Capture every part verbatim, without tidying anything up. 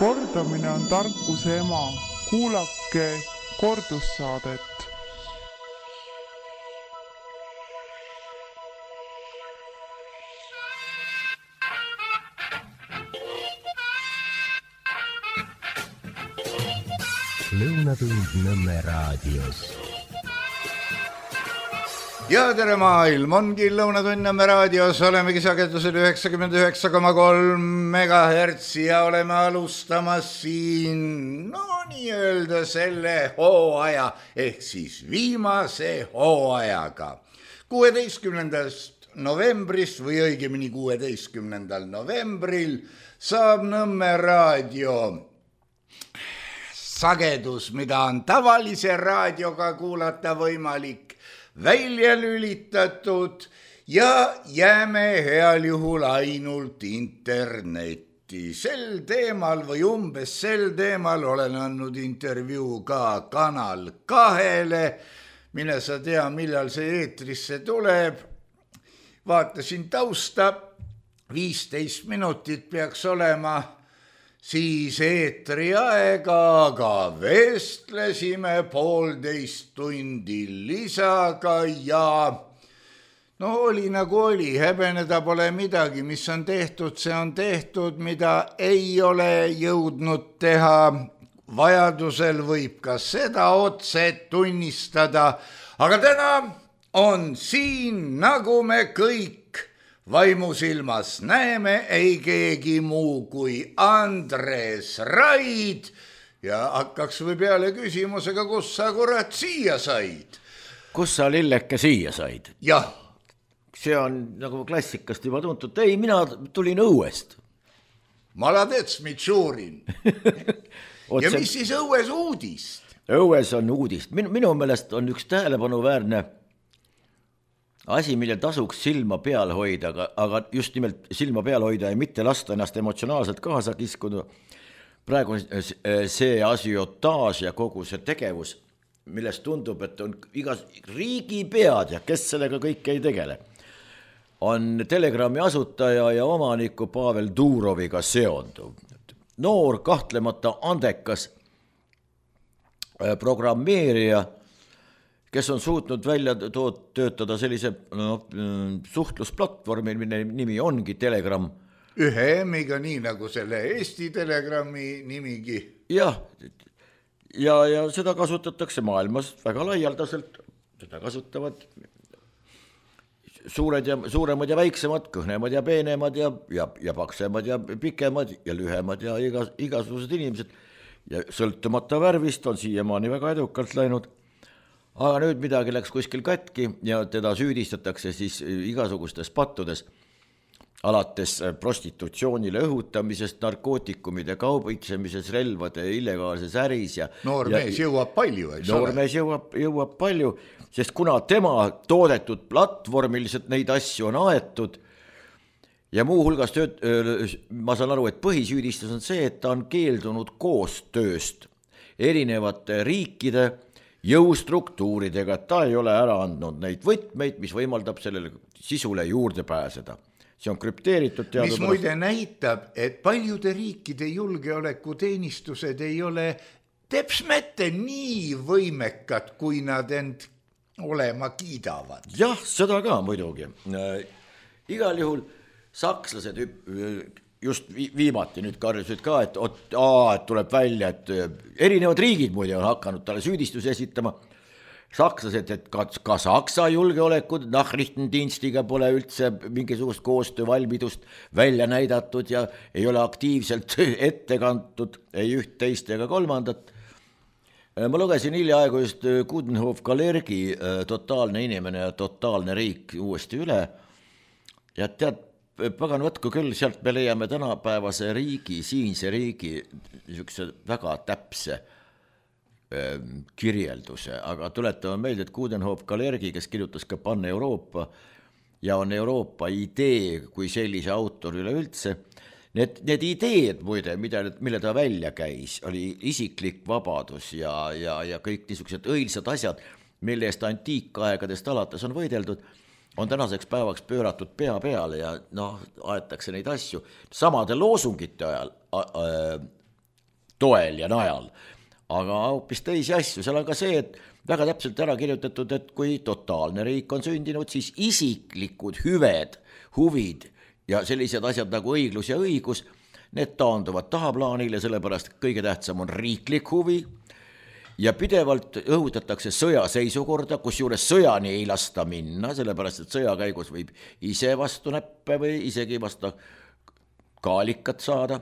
Kordamine on tarkuse ema. Kuulake kordussaadet. Lõunatund Nõmme raadios. Ja tere maailm, ongi Lõunatund Nõmme raadios, olemegi sagedusel üheksakümmend üheksa koma kolm megahertsi ja oleme alustamas siin, no nii-öelda selle hooaja, ehk siis viimase hooajaga. kuueteistkümnendast novembrist või õigemini kuueteistkümnendal novembril saab Nõmme raadio sagedus, mida on tavalise raadioga kuulata võimalik, välja lülitatud ja jääme heal juhul ainult internetti. Sel teemal või umbes sel teemal olen andnud intervjuu ka Kanal kahele. Mine sa tea, millal see eetrisse tuleb. Vaatasin tausta, viisteist minutit peaks olema siis eetri aega, aga vestlesime poolteist tundi lisaga ja no oli nagu oli, häbeneda pole midagi, mis on tehtud, see on tehtud, mida ei ole jõudnud teha. Vajadusel võib ka seda otse tunnistada, aga täna on siin, nagu me kõik vaimusilmas näeme, ei keegi muu kui Andres Raid ja hakkaks või peale küsimusega, kus sa kurat siia said? Kus sa lilleke siia said? Jah. See on nagu klassikast juba tuntud. Ei, mina tulin õuest. Maladets, mitšuurin. Ja mis siis õues uudist? Õues on uudist. Minu, minu meelest on üks tähelepanuväärne asi, mille tasuks silma peal hoida, aga, aga just nimelt silma peal hoida ja mitte lasta ennast emotsionaalselt kaasa kiskuda. Praegu see asiotaaž ja kogu see tegevus, millest tundub, et on igas riigipead ja kes sellega kõik ei tegele, on Telegrami asutaja ja omaniku Pavel Duroviga seonduv. Noor, kahtlemata andekas programmeerija, kes on suutnud välja töötada sellise no, suhtlusplatvormi, mille nimi ongi Telegram. Ühe emiga, nii nagu selle Eesti Telegrami nimigi. Jah, ja, ja seda kasutatakse maailmas väga laialdaselt. Seda kasutavad suured ja, suuremad ja väiksemad, kõhnemad ja peenemad ja, ja, ja paksemad ja pikemad ja lühemad ja igas, igasugused inimesed. Ja sõltumata värvist on siiamaani väga edukalt läinud. Aga nüüd midagi läks kuskil katki ja teda süüdistatakse siis igasugustes pattudes, alates prostitutsioonile õhutamisest, narkootikumide kaubitsemises, relvade illegaalses äris. Ja, noor ja, mees jõuab palju, eks noor ole? Mees jõuab, jõuab palju, sest kuna tema toodetud platvormiliselt neid asju on aetud ja muu hulgas tööd, ma saan aru, et põhisüüdistus on see, et ta on keeldunud koostööst erinevate riikide jõustruktuuridega, et ta ei ole ära andnud neid võtmeid, mis võimaldab sellele sisule juurde pääseda. See on krüpteeritud teadupärast. Mis muide näitab, et paljude riikide julgeolekuteenistused ei ole tepsmette nii võimekad, kui nad end olema kiidavad. Jah, seda ka muidugi. Igal juhul sakslased just viimati nüüd karjusid ka, et, et, aa, et tuleb välja, et erinevad riigid muide on hakanud talle süüdistusi esitama. Sakslased, et ka, ka Saksa julgeolekud Nachrichtendienstiga pole üldse mingisugust koostöövalmidust välja näidatud ja ei ole aktiivselt ette kantud ei üht, teist ega kolmandat. Ma lugesin hiljaaegu just Coudenhove-Kalergi Totaalne inimene ja totaalne riik uuesti üle ja tead, pagan võtku küll, sealt me leiame tänapäevase riigi, siinse riigi niisuguse väga täpse äh, kirjelduse, aga tuletame meelde, et Coudenhove-Kalergi, kes kirjutas ka Panne Euroopa ja on Euroopa idee kui sellise autor üleüldse, need, need ideed muide, mida, mille ta välja käis, oli isiklik vabadus ja, ja, ja kõik niisugused õilsad asjad, mille eest antiikaegadest alates on võideldud, on tänaseks päevaks pööratud pea peale ja noh, aetakse neid asju. Samade loosungite ajal, toel ja najal. Aga hoopis teisi asju, seal on ka see, et väga täpselt ära kirjutatud, et kui totaalne riik on sündinud, siis isiklikud hüved, huvid ja sellised asjad nagu õiglus ja õigus, need taanduvad tahaplaanile, sellepärast kõige tähtsam on riiklik huvi ja pidevalt õhutatakse sõjaseisukorda, kus juures sõjani ei lasta minna, sellepärast et sõja käigus võib ise vastu näppe või isegi vastu kaalikat saada.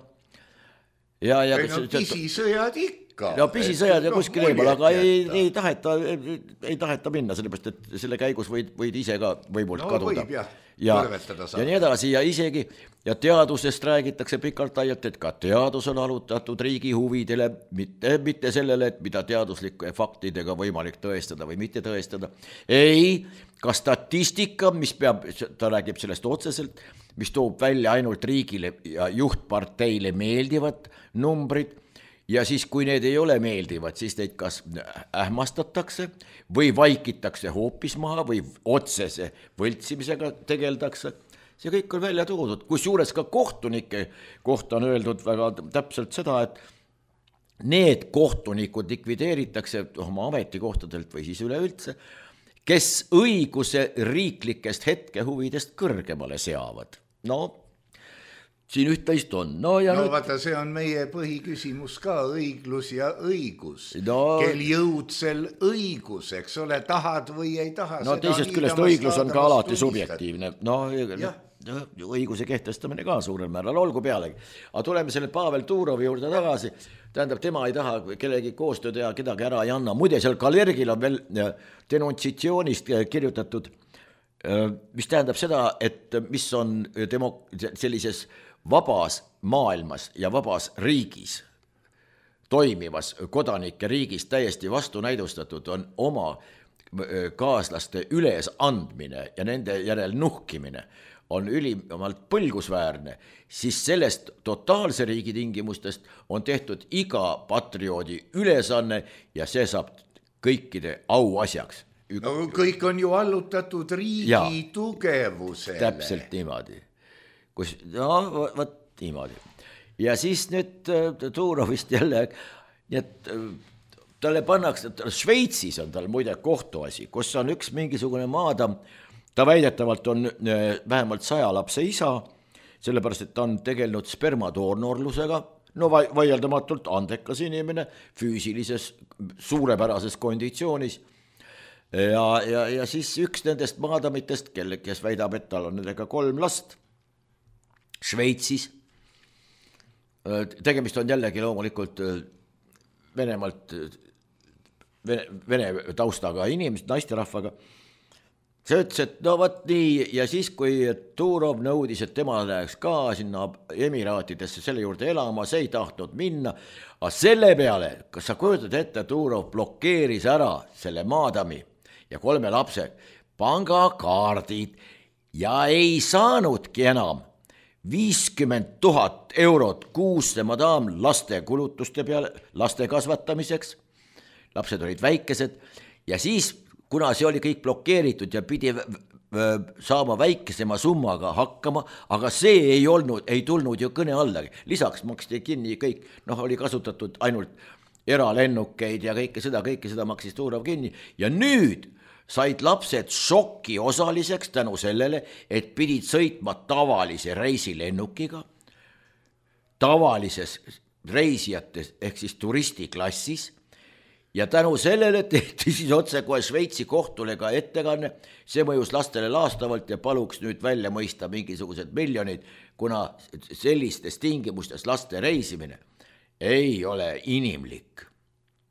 Ja, ja, ei no pisisõjad ikka. No pisisõjad ja kuskil no, eemal, aga ei, ei, taheta, ei, ei taheta minna, sellepärast et selle käigus võid, võid ise ka võimult no, kaduda. Võib, jah. Ja, ja nii edasi ja isegi ja teadusest räägitakse pikalt laialt, et ka teadus on alutatud riigi huvidele, mitte, mitte sellele, et mida teaduslike faktidega võimalik tõestada või mitte tõestada. Ei, ka statistika, mis peab, ta räägib sellest otseselt, mis toob välja ainult riigile ja juhtparteile meeldivad numbrid ja siis, kui need ei ole meeldivad, siis neid kas ähmastatakse või vaikitakse hoopis maha või otsese võltsimisega tegeldakse. See kõik on välja toodud, kus juures ka kohtunike kohta on öeldud väga täpselt seda, et need kohtunikud likvideeritakse oma ametikohtadelt või siis üleüldse, kes õiguse riiklikest hetkehuvidest kõrgemale seavad. No, siin üht-teist on. No, ja no nüüd... vaata, see on meie põhiküsimus ka, õiglus ja õigus. No... Kel jõudsel õigus, eks ole, tahad või ei taha. No teisest küljest õiglus on ka alati subjektiivne. No, no, õiguse kehtestamine ka suurel määral, olgu pealegi. Aga tuleme selle Pavel Turovi juurde tagasi. Tähendab, tema ei taha kellegi koostööd ja kedagi ära ei anna. Muide, seal Kalergil on veel denuntsitsioonist kirjutatud, mis tähendab seda, et mis on demo- sellises vabas maailmas ja vabas riigis, toimivas kodanike riigis täiesti vastunäidustatud on oma kaaslaste üles andmine ja nende järel nuhkimine on ülimalt põlgusväärne, siis sellest totaalse riigi tingimustest on tehtud iga patrioodi ülesanne ja see saab kõikide auasjaks. No kõik on ju allutatud riigi ja, tugevusele. Täpselt niimoodi. Kus, no, võt niimoodi. Ja siis nüüd Turovist jälle, et talle pannakse, Šveitsis on tal muide kohtuasi, kus on üks mingisugune maadam, ta väidetavalt on vähemalt saja lapse isa, sellepärast, et ta on tegelenud spermadoonorlusega, no vaieldamatult andekas inimene, füüsilises suurepärases konditsioonis. Ja, ja, ja siis üks nendest maadamitest, kelle, kes väidab, et tal on nendega kolm last Šveitsis. Tegemist on jällegi loomulikult Venemaalt, Vene, Vene taustaga inimest, naisterahvaga. See ütles, et no võt nii, ja siis kui Turov nõudis, et tema läheks ka sinna Emiraatidesse selle juurde elama, see ei tahtnud minna, aga selle peale, kas sa kujutad ette, Turov blokeeris ära selle maadami ja kolme lapse pangakaardid ja ei saanudki enam viiskümmend tuhat eurot kuusse madam laste kulutuste peale, laste kasvatamiseks. Lapsed olid väikesed ja siis, kuna see oli kõik blokeeritud ja pidi saama väikesema summaga hakkama, aga see ei olnud, ei tulnud ju kõne allagi. Lisaks maksti kinni kõik, noh, oli kasutatud ainult eralennukeid ja kõike seda, kõike seda maksis Turov kinni ja nüüd said lapsed šokki osaliseks tänu sellele, et pidid sõitma tavalise reisilennukiga, tavalises reisijates ehk siis turistiklassis ja tänu sellele tehti siis otse kohe Šveitsi kohtule ka ettekanne, see mõjus lastele laastavalt ja paluks nüüd välja mõista mingisugused miljonid, kuna sellistes tingimustes laste reisimine ei ole inimlik.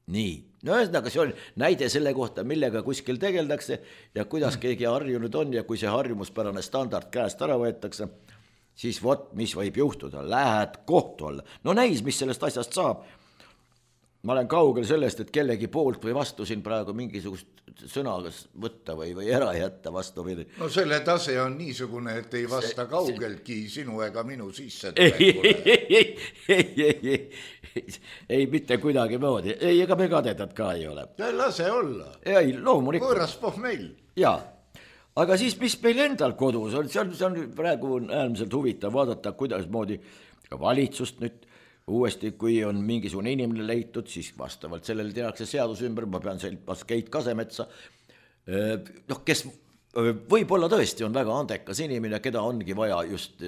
Nii, no ühesõnaga see on näide selle kohta, millega kuskil tegeldakse ja kuidas keegi harjunud on ja kui see harjumuspärane standard käest ära võetakse, siis vot, mis võib juhtuda, lähed kohtu alla. No näis, mis sellest asjast saab. Ma olen kaugel sellest, et kellegi poolt või vastu siin praegu mingisugust sõna võtta või, või ära jätta vastu. No selle tase on niisugune, et ei vasta see, kaugeltki see... sinu ega minu sisse tulekule. Ei, ei, ei, ei, ei, mitte kuidagi moodi. Ei, ega me kadedad ka ei ole. Ja lase olla. Ei, loomulikult. Võõras poh meil. Jaa, aga siis mis meil endal kodus on, see on, see on praegu äärmiselt huvitav vaadata, kuidas moodi ka valitsust nüüd uuesti, kui on mingisugune inimene leitud, siis vastavalt sellele tehakse seadus ümber, ma pean sellepas Keit Kasemetsa, noh, kes võib-olla tõesti on väga andekas inimene, keda ongi vaja just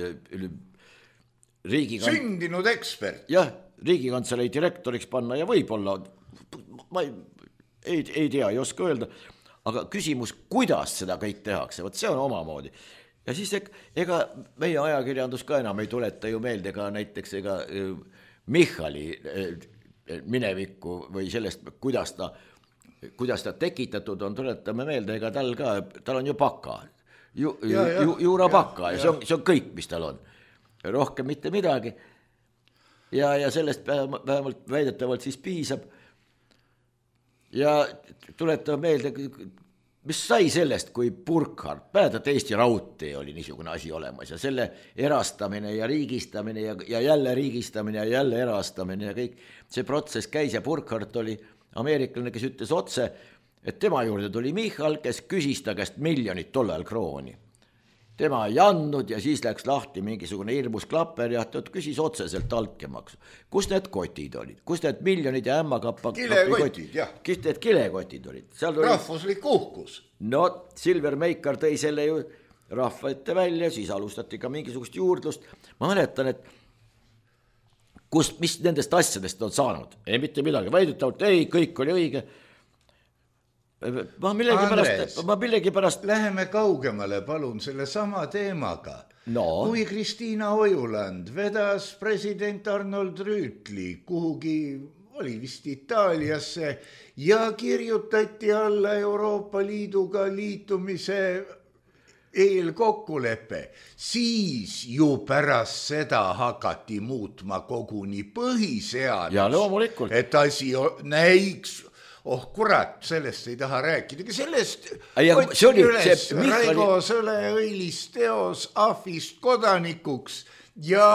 riigikant... sündinud ekspert. Jah, riigikantselei direktoriks panna ja võib-olla, ma ei, ei, ei tea, ei oska öelda, aga küsimus, kuidas seda kõik tehakse, võt see on omamoodi. Ja siis ega meie ajakirjandus ka enam ei tuleta ju meelde ka näiteks ega Michali minevikku või sellest, kuidas ta, kuidas ta tekitatud on, tuletame meelde, ega tal ka, tal on ju baka, ju, ja, ja, ju, juura ja, baka ja, ja see on, see on kõik, mis tal on. Rohkem mitte midagi. Ja, ja sellest vähemalt väidetavalt siis piisab. Ja tuletame meelde, mis sai sellest, kui Burkhardt, päädad Eesti Raudtee oli niisugune asi olemas ja selle erastamine ja riigistamine ja, ja jälle riigistamine ja jälle erastamine ja kõik see protsess käis ja Burkhardt oli ameeriklane, kes ütles otse, et tema juurde tuli Michal, kes küsis ta käest miljonit tollal krooni. Tema ei andnud ja siis läks lahti mingisugune hirmus klapper ja ta küsis otseselt altkemaksu. Kus need kotid olid? Kus need miljonid ja ämmakappa... Kilekotid, jah. Kus need kilekotid olid? Rahvuslik uhkus. No, Silver Meikar tõi selle ju rahva ette välja, siis alustati ka mingisugust juurdlust. Ma mäletan, et kust, mis nendest asjadest on saanud? Ei, mitte midagi. Väidetavalt, ei, kõik oli õige. Ma millegi Andres, pärast, ma millegi pärast... Läheme kaugemale, palun, selle sama teemaga. No. Kui Kristiina Ojuland vedas president Arnold Rüütli kuhugi, oli vist Itaaliasse, ja kirjutati alla Euroopa Liiduga liitumise eelkokkulepe, siis ju pärast seda hakati muutma koguni põhiseadus. Ja loomulikult. Et asi näiks... Oh kurat, sellest ei taha rääkida. Sellest otsin üles Raigo Sõle-Õilis teos ahvist kodanikuks ja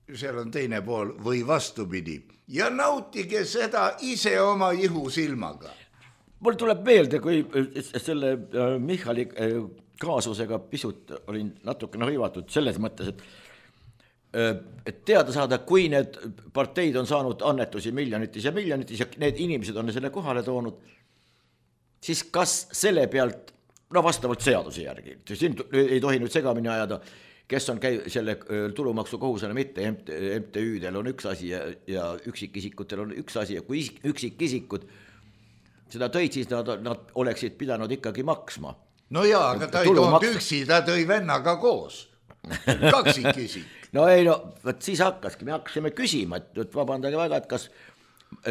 seal on teine pool või vastupidi. Ja nautige seda ise oma ihu silmaga. Mul tuleb meelde, kui selle Michali kaasusega pisut olin natukene hõivatud selles mõttes, et et teada saada, kui need parteid on saanud annetusi miljonitis ja miljonitis ja need inimesed on selle kohale toonud, siis kas selle pealt, no vastavalt seaduse järgi, siin ei tohi nüüd segamini ajada, kes on käi, selle tulumaksu kohusena mitte, M T Ü-del on üks asi ja, ja üksikisikutel on üks asi ja kui üksikisikud seda tõid, siis nad, nad oleksid pidanud ikkagi maksma. No jaa, aga ta ei toonud üksi, ta tõi vennaga koos. Kaksikisik. No ei, no võt siis hakkaski, me hakkasime küsima, et, et vabandage väga, et kas,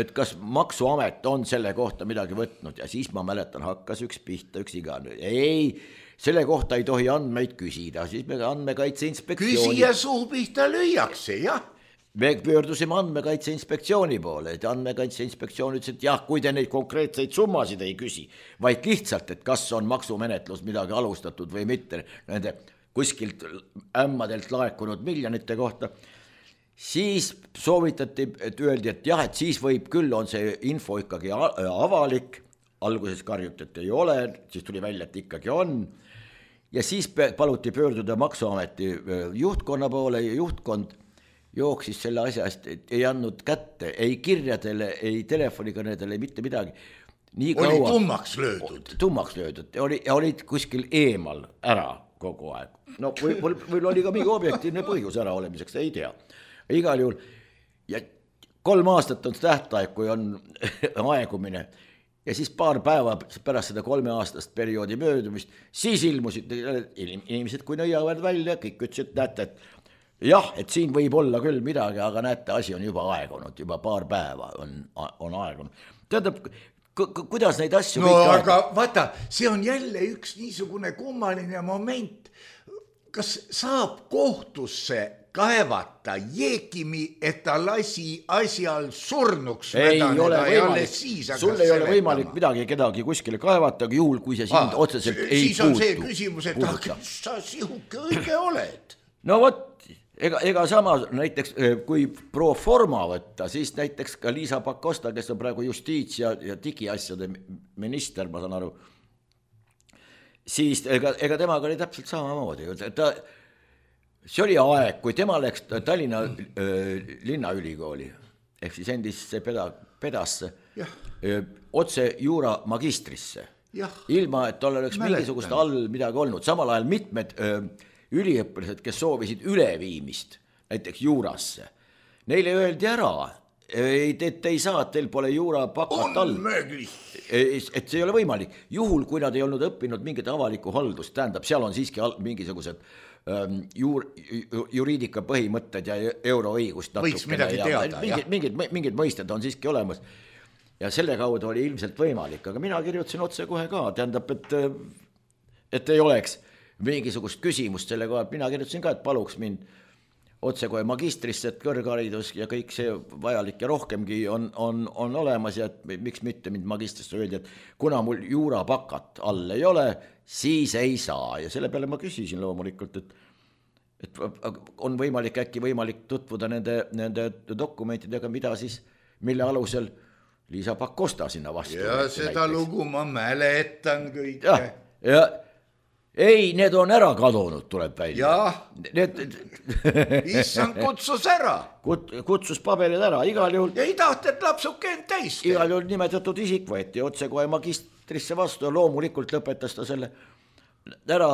et kas maksuamet on selle kohta midagi võtnud ja siis ma mäletan, hakkas üks pihta, üks igane. Ei, selle kohta ei tohi andmeid küsida, siis me andmekaitse inspektsiooni... Küsija suu pihta lüüakse, jah. Me pöördusime andmekaitse inspektsiooni poole, et andmekaitse inspektsioon ütles, et jah, kui te neid konkreetseid summasid ei küsi, vaid lihtsalt, et kas on maksumenetlus midagi alustatud või mitte, nende... kuskilt ämmadelt laekunud miljonite kohta, siis soovitati, et öeldi, et jah, et siis võib küll, on see info ikkagi avalik, alguses karjuti, et ei ole, siis tuli välja, et ikkagi on, ja siis paluti pöörduda maksuameti juhtkonna poole ja juhtkond jooksis selle asja eest, ei andnud kätte, ei kirjadele, ei telefonikõnedele, mitte midagi. Nii oli kaua, tummaks löödud. Tummaks löödud, oli, olid kuskil eemal ära kogu aeg. No või, või oli ka mingi objektiivne põhjus ära olemiseks, ei tea. Igal juhul, ja kolm aastat on tähtaeg, kui on aegumine, ja siis paar päeva pärast seda kolme aastast perioodi möödumist, siis ilmusid inimesed, kui nõiavad välja, kõik ütlesid, et näete, et jah, et siin võib olla küll midagi, aga näete, asi on juba aegunud, juba paar päeva on, on aegunud. Tähendab, kuidas neid asju... No aga vaata, see on jälle üks niisugune kummaline moment. Kas saab kohtusse kaevata Jeekimi, et ta lasi asjal surnuks vedaneda ja alles siis hakkas sul ei seletama. Ole võimalik midagi kedagi kuskile kaevata, aga juhul, kui see sind ah, otseselt ei puutu. Siis on puutu, see küsimus, et ah, sa sihuke õige oled. No vot, ega, ega sama näiteks, kui pro forma võtta, siis näiteks ka Liisa Pakosta, kes on praegu justiits- ja, ja digiasjade minister, ma saan aru, siis ega, ega temaga oli täpselt samamoodi. Ta, see oli aeg, kui tema läks Tallinna äh, linnaülikooli ehk siis endisse peda, pedasse öö, otse juura magistrisse. Jah. Ilma, et tal oleks Mäletan. mingisugust all midagi olnud. Samal ajal mitmed öö, üliõpilased, kes soovisid üleviimist näiteks juurasse, neile öeldi ära, ei, te, te ei saa, teil pole juura pakat all. Et see ei ole võimalik. Juhul, kui nad ei olnud õppinud mingit avalikku haldust, tähendab, seal on siiski mingisugused ähm, juur, juriidika põhimõtted ja euroõigust. Võiks midagi ja, teada, mingid, mingid, mingid mõisted on siiski olemas. Ja selle kaudu oli ilmselt võimalik, aga mina kirjutasin otse kohe ka, tähendab, et, et ei oleks mingisugust küsimust selle koha, mina kirjutasin ka, et paluks mind otse kohe magistrisse, et kõrgharidus ja kõik see vajalik ja rohkemgi on, on, on olemas ja et miks mitte mind magistrisse öeldi, et kuna mul juurapakat all ei ole, siis ei saa ja selle peale ma küsisin loomulikult, et, et on võimalik äkki võimalik tutvuda nende, nende dokumentidega, mida siis, mille alusel Liisa Pakosta sinna vastu. Ja seda näiteks. Lugu ma mäletan kõike. Ja, ja ei, need on ära kadunud, tuleb välja. Jah, need... issand kutsus ära. Kut, kutsus paberid ära, igal juhul. Ja ei tahta, et lapsuke end täist. Igal juhul nimetatud isik võeti otse kohe magistrisse vastu ja loomulikult lõpetas ta selle ära.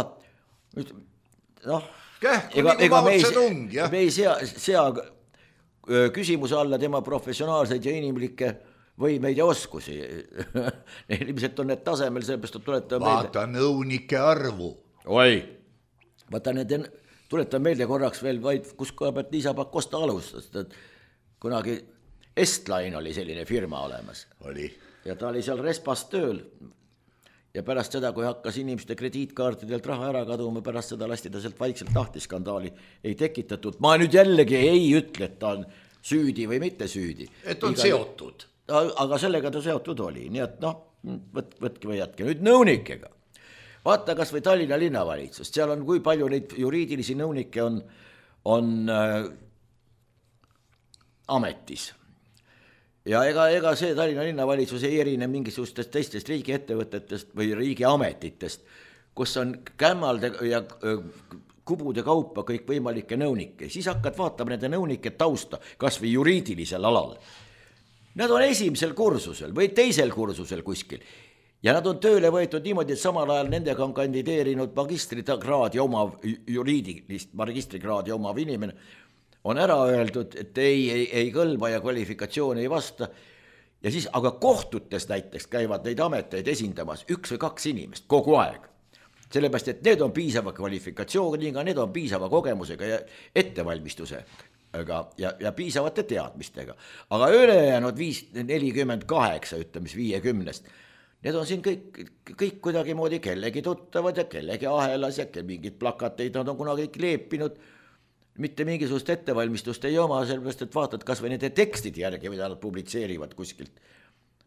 Noh, Kähku ega, nagu mautse tung, jah. Me ei sea, sea küsimuse alla tema professionaalseid ja inimlikke võimeid ja oskusi. Ilmselt on need tasemel, sellepärast tuletan meelde. Vaata nõunike arvu. Oi, vaata need, tuletan meelde korraks veel vaid, kus kohe pealt Liisa Pakosta alustas. Kunagi Estline oli selline firma olemas. Oli. Ja ta oli seal Respas tööl. Ja pärast seda, kui hakkas inimeste krediitkaartidelt raha ära kaduma, pärast seda lasti ta sealt vaikselt lahti, skandaali ei tekitatud. Ma nüüd jällegi ei ütle, et ta on süüdi või mitte süüdi. Et on Iga... seotud. Aga sellega ta seotud oli, nii et noh, võt, võtke või jätke. Nüüd nõunikega. Vaata kas või Tallinna linnavalitsus, seal on kui palju neid juriidilisi nõunikke on, on äh, ametis. Ja ega, ega see Tallinna linnavalitsus ei erine mingisugustest teistest riigiettevõtetest või riigiametitest, kus on kämmalde ja äh, kubude kaupa kõik võimalikke nõunikke. Siis hakkad vaatama nende nõunike tausta, kas või juriidilisel alal. Nad on esimesel kursusel või teisel kursusel kuskil ja nad on tööle võetud niimoodi, et samal ajal nendega on kandideerinud magistrikraadi omav, juriidilist magistrikraadi omav inimene, on ära öeldud, et ei, ei, ei kõlba ja kvalifikatsiooni ei vasta ja siis aga kohtutes näiteks käivad neid ameteid esindamas üks või kaks inimest kogu aeg. Sellepärast, et need on piisava kvalifikatsiooniga, need on piisava kogemusega ja ettevalmistuse Aga, ja, ja piisavate teadmistega. Aga ülejäänud viis nelikümmend kaheksa, ütleme viiekümnest, need on siin kõik, kõik kuidagi moodi kellegi tuttavad ja kellegi ahelas ja mingid plakateid nad on kunagi leepinud. Mitte mingisugust ettevalmistust ei oma, sellepärast, et vaatad kas või nende tekstide järgi, mida nad publitseerivad kuskilt.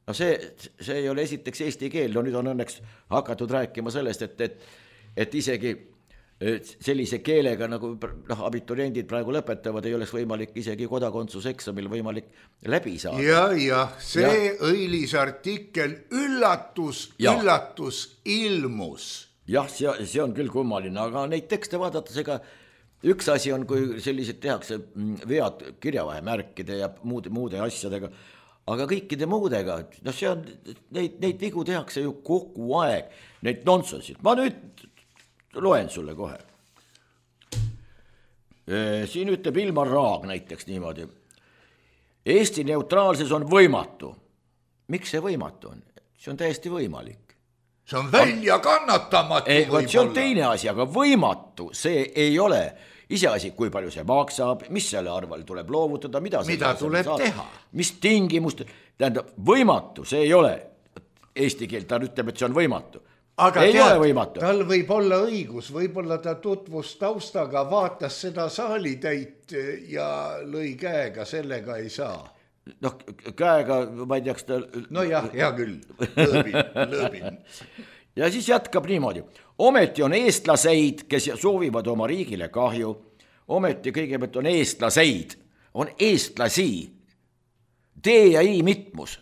No see, see ei ole esiteks eesti keel, no nüüd on õnneks hakatud rääkima sellest, et, et, et isegi sellise keelega nagu noh, abituriendid praegu lõpetavad, ei oleks võimalik isegi kodakondsuseksamil võimalik läbi saada. Ja, ja see ja. Õilis artikkel üllatus, ja. üllatus ilmus. Jah, see, see on küll kummaline, aga neid tekste vaadates, ega üks asi on, kui sellised tehakse vead kirjavahemärkide ja muude, muude asjadega, aga kõikide muudega, no see on, neid, neid vigu tehakse ju kogu aeg, neid nonsensid. Ma nüüd loen sulle kohe. Siin ütleb Ilmar Raag näiteks niimoodi. Eesti neutraalsus on võimatu. Miks see võimatu on? See on täiesti võimalik. See on välja kannatamatu ei, võib-olla. See on teine asi, aga võimatu see ei ole. Iseasi, kui palju see maksab, mis selle arval tuleb loovutada, mida, mida tuleb saab, teha. Mis tingimust, tähendab, võimatu see ei ole. Eesti keel, ta ütleb, et see on võimatu. Aga ei tead, tal võib olla õigus, võib-olla ta tutvus taustaga, vaatas seda saalitäit ja lõi käega, sellega ei saa. Noh, käega, ma ei teaks ta... No jah, hea küll, lõõbin, lõõbin. Ja siis jätkab niimoodi. Ometi on eestlaseid, kes soovivad oma riigile kahju. Ometi kõigepealt on eestlaseid, on eestlasi. D ja I mitmus.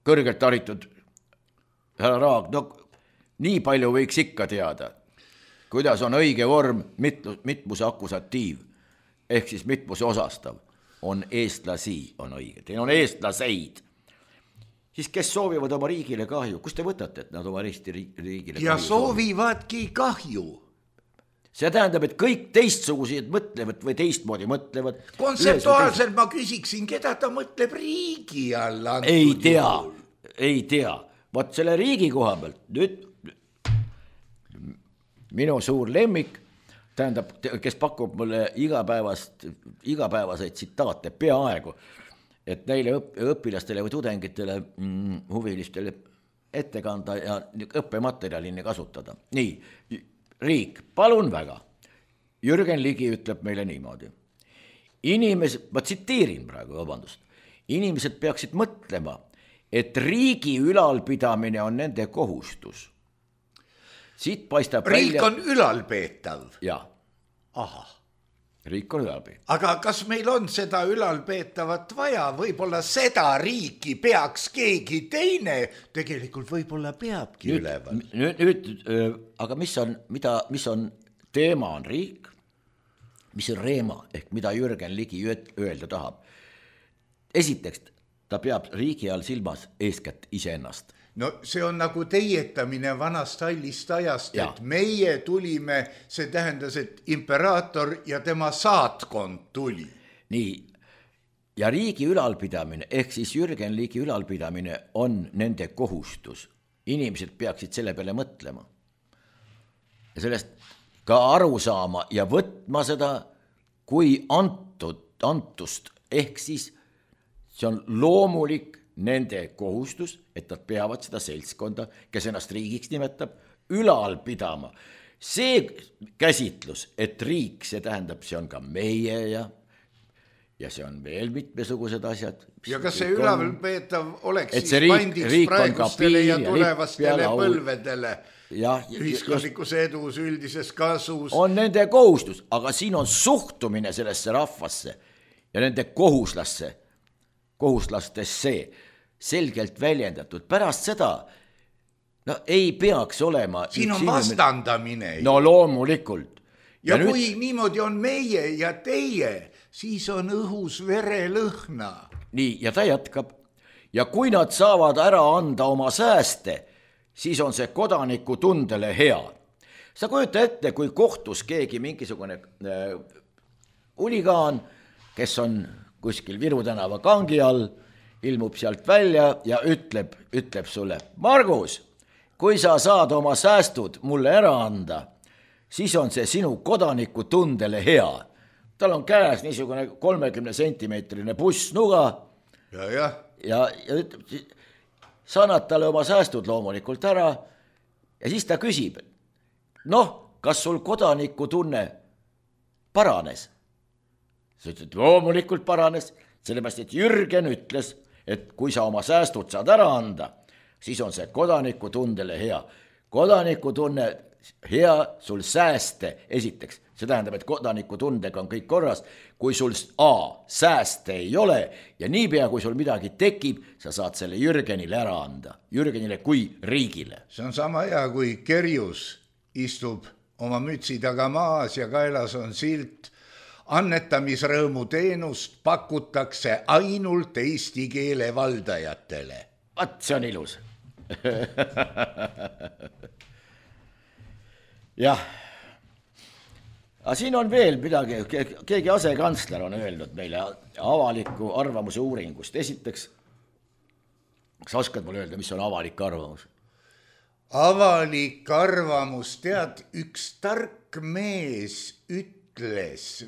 Kõrgelt haritud härra Raag, no nii palju võiks ikka teada. kuidas on õige vorm mitmuse akusatiiv, ehk siis mitmuse osastav, on eestlasi, on õige, teil on eestlaseid. Siis kes soovivad oma riigile kahju, kus te võtate, et nad oma Eesti riigile kahju ja soovivadki kahju. See tähendab, et kõik teistsugused mõtlevad või teistmoodi mõtlevad. Kontseptuaalselt ma küsiksin, keda ta mõtleb riigi alla? Ei tea, ei tea. Vaat selle riigi koha pealt, nüüd minu suur lemmik, tähendab, kes pakub mulle igapäevast, igapäevaseid tsitaate peaaegu, et neile õpilastele või tudengitele, mm, huvilistele ette kanda ja õppematerjalini kasutada. Nii, riik, palun väga. Jürgen Ligi ütleb meile niimoodi. Inimesed, ma tsiteerin praegu, vabandust, inimesed peaksid mõtlema, et riigi ülalpidamine on nende kohustus. Siit paistab riik välja... on ülalpeetav? Jaa. Aha. Riik on ülalpeetav. Aga kas meil on seda ülalpeetavat vaja? Võib-olla seda riiki peaks keegi teine, tegelikult võib-olla peabki nüüd, üleval. Nüüd, nüüd, aga mis on, mida, mis on teema on riik, mis on reema, ehk mida Jürgen Ligi öelda tahab. Esiteks, ta peab riigi all silmas eeskätt iseennast. No see on nagu teietamine vanast hallist ajast, ja. Et meie tulime, see tähendas, et imperaator ja tema saatkond tuli. Nii, ja riigi ülalpidamine, ehk siis Jürgen Ligi ülalpidamine on nende kohustus. Inimesed peaksid selle peale mõtlema. Ja sellest ka aru saama ja võtma seda kui antud, antust, ehk siis see on loomulik nende kohustus, et nad peavad seda seltskonda, kes ennast riigiks nimetab, ülal pidama. See käsitlus, et riik, see tähendab, see on ka meie ja, ja see on veel mitmesugused asjad. Ja kas see ülalpeetav oleks siis riik, pandiks praegustele ja tulevastele põlvedele ja, ühiskondlikus edus, üldises kasus? On nende kohustus, aga siin on suhtumine sellesse rahvasse ja nende kohuslasse, kohuslastesse selgelt väljendatud. Pärast seda no, ei peaks olema... Siin on vastandamine. No loomulikult. Ja, ja kui nüüd... niimoodi on meie ja teie, siis on õhus verelõhna. Nii, ja ta jätkab. Ja kui nad saavad ära anda oma sääste, siis on see kodaniku tundele hea. Sa kujuta ette, kui kohtus keegi mingisugune äh, uligaan, kes on kuskil Viru tänava kangi all, ilmub sealt välja ja ütleb, ütleb sulle, Margus, kui sa saad oma säästud mulle ära anda, siis on see sinu kodaniku tundele hea. Tal on käes niisugune kolmekümne sentimeetrine bussnuga ja, ja. ja, ja ütleb, sa annad talle oma säästud loomulikult ära ja siis ta küsib, noh, kas sul kodaniku tunne paranes? Sa ütled, loomulikult paranes, sellepärast, et Jürgen ütles, et kui sa oma säästud saad ära anda, siis on see kodaniku tundele hea. Kodaniku tunne hea sul sääste esiteks. See tähendab, et kodaniku tundega on kõik korras. Kui sul A, sääste ei ole ja niipea, kui sul midagi tekib, sa saad selle Jürgenile ära anda. Jürgenile kui riigile. See on sama hea, kui kerjus istub oma mütsi taga maas ja kaelas on silt. Annetamisrõõmu teenust pakutakse ainult eesti keele valdajatele. Vaat, see on ilus. Jah. Aga siin on veel midagi, keegi asekantsler on öelnud meile avaliku arvamuse uuringust. Esiteks, kas oskad mulle öelda, mis on avalik arvamus? Avalik arvamus, tead, üks tark mees üt-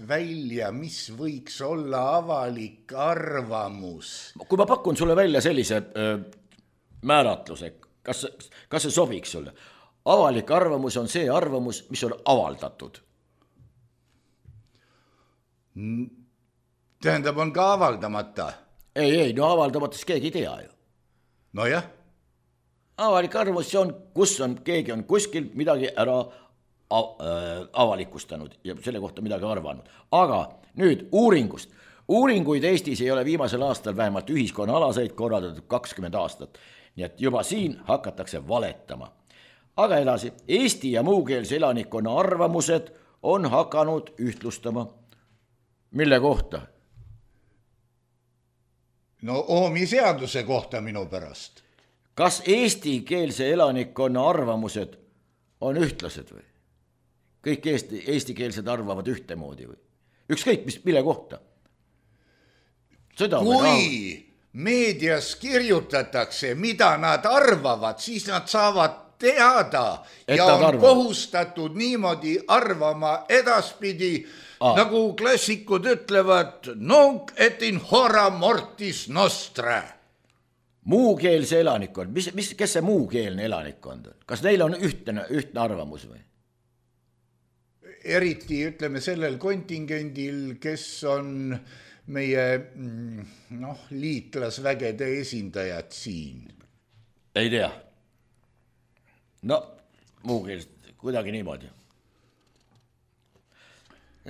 välja, mis võiks olla avalik arvamus. Kui ma pakun sulle välja sellise öö, määratluse, kas, kas see sobiks sulle? Avalik arvamus on see arvamus, mis on avaldatud. Tähendab, on ka avaldamata? Ei, ei, no avaldamatas keegi ei tea ju. No jah. Avalik arvamus on, kus on, keegi on kuskil midagi ära avalikustanud ja selle kohta midagi arvanud. Aga nüüd uuringust. Uuringuid Eestis ei ole viimasel aastal vähemalt ühiskonna alaseid korraldatud kakskümmend aastat. Nii et juba siin hakatakse valetama. aga edasi, Eesti ja muukeelse elanikkonna arvamused on hakanud ühtlustama. Mille kohta? No oomi seaduse kohta minu pärast. Kas eestikeelse elanikkonna arvamused on ühtlased või? Kõik eesti, eestikeelsed arvavad ühtemoodi või? Ükskõik, mis, mille kohta? Seda kui meedias kirjutatakse, mida nad arvavad, siis nad saavad teada et ja on arvavad. Kohustatud niimoodi arvama edaspidi, ah. nagu klassikud ütlevad, nunc et in hora mortis nostra. Muukeelse elanikkond, mis, mis, kes see muukeelne elanikkond on? Kas neil on ühtne, ühtne arvamus või? Eriti ütleme sellel kontingendil, kes on meie noh, liitlasvägede esindajad siin. Ei tea. No, muukeelest kuidagi niimoodi.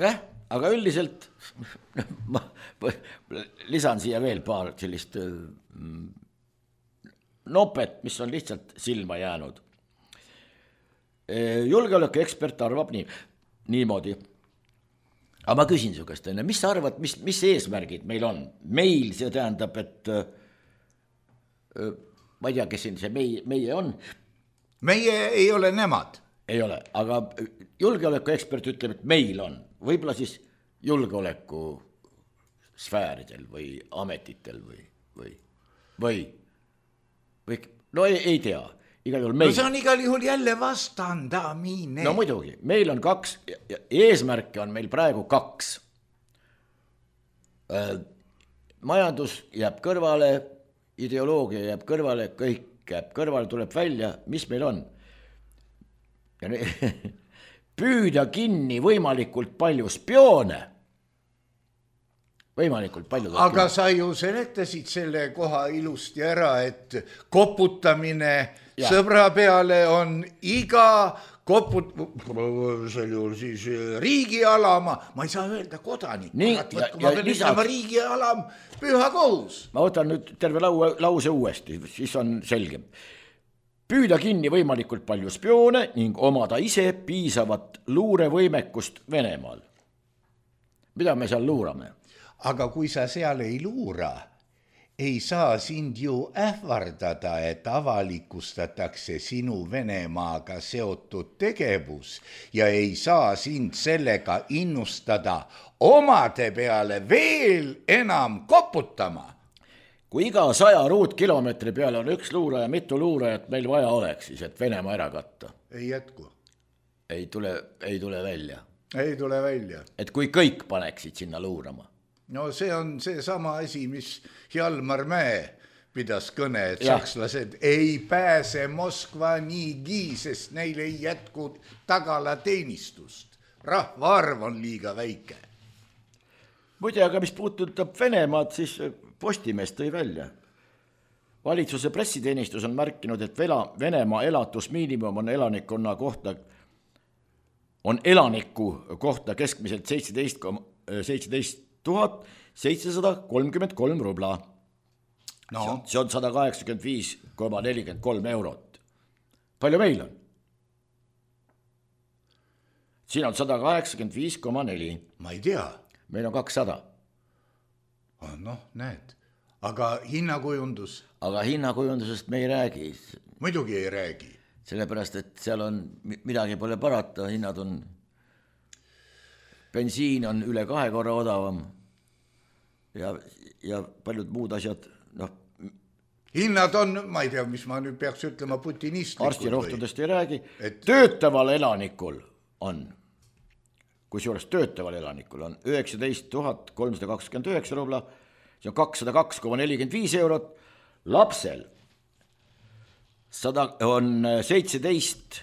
Jah, aga üldiselt ma lisan siia veel paar sellist nopet, mis on lihtsalt silma jäänud. Julgeoleku ekspert arvab nii, niimoodi. Aga ma küsin su käest, mis sa arvad, mis, mis eesmärgid meil on? Meil see tähendab, et ma ei tea, kes siin see meie, meie on. Meie ei ole nemad. Ei ole, aga julgeoleku ekspert ütleb, et meil on. Võib-olla siis julgeoleku sfääridel või ametitel või, või, või, või no ei, ei tea. Igal juhul meil. No see on igal juhul jälle vastandamine. No muidugi, meil on kaks, eesmärke on meil praegu kaks. Majandus jääb kõrvale, ideoloogia jääb kõrvale, kõik jääb kõrvale, tuleb välja, mis meil on. Püüda kinni võimalikult palju spioone. Võimalikult palju. Aga sa ju seletasid selle koha ilusti ära, et koputamine ja. Sõbra peale on iga koput... sel juhul siis riigialama, ma ei saa öelda kodanik. Nii, ja, ja, ma pean ütlema riigialam püha kohus. Ma võtan nüüd terve lau, lause uuesti, siis on selgem. Püüda kinni võimalikult palju spioone ning omada ise piisavat luurevõimekust Venemaal. Mida me seal luurame? Aga kui sa seal ei luura, ei saa sind ju ähvardada, et avalikustatakse sinu Venemaaga seotud tegevus ja ei saa sind sellega innustada omade peale veel enam koputama. Kui iga saja ruutkilomeetri peale on üks luuraja, mitu luurajat meil vaja oleks, siis et Venemaa ära katta? Ei jätku. Ei tule, ei tule välja. Ei tule välja. Et kui kõik paneksid sinna luurama. No see on see sama asi, mis Hjalmar Mäe pidas kõne, et ja. Sakslased ei pääse Moskva niigi, sest neil ei jätku tagalateenistust. Rahvaarv on liiga väike. Muide, aga mis puudutab Venemaad, siis Postimees tõi välja. Valitsuse pressiteenistus on märkinud, et Venemaa elatusmiinimum on elanikkonna kohta, on elaniku kohta keskmiselt seitseteist tuhat seitsesada kolmkümmend kolm rubla. No. See on sada kaheksakümmend viis koma nelikümmend kolm eurot. Palju meil on? Siin on sada kaheksakümmend viis koma neli. Ma ei tea. Meil on kakssada. Noh, näed. Aga hinnakujundus? Aga hinnakujundusest me ei räägi. Muidugi ei räägi. Sellepärast, et seal on, midagi pole parata, hinnad on, bensiin on üle kahe korra odavam ja, ja paljud muud asjad, noh. Hinnad on, ma ei tea, mis ma nüüd peaks ütlema, putinistlikul. Arstirohtudest ei räägi. Et... Töötaval elanikul on, kui juures töötaval elanikul on üheksateist tuhat kolmsada kakskümmend üheksa rubla, see on kakssada kaks koma nelikümmend viis eurot, lapsel sada on seitseteist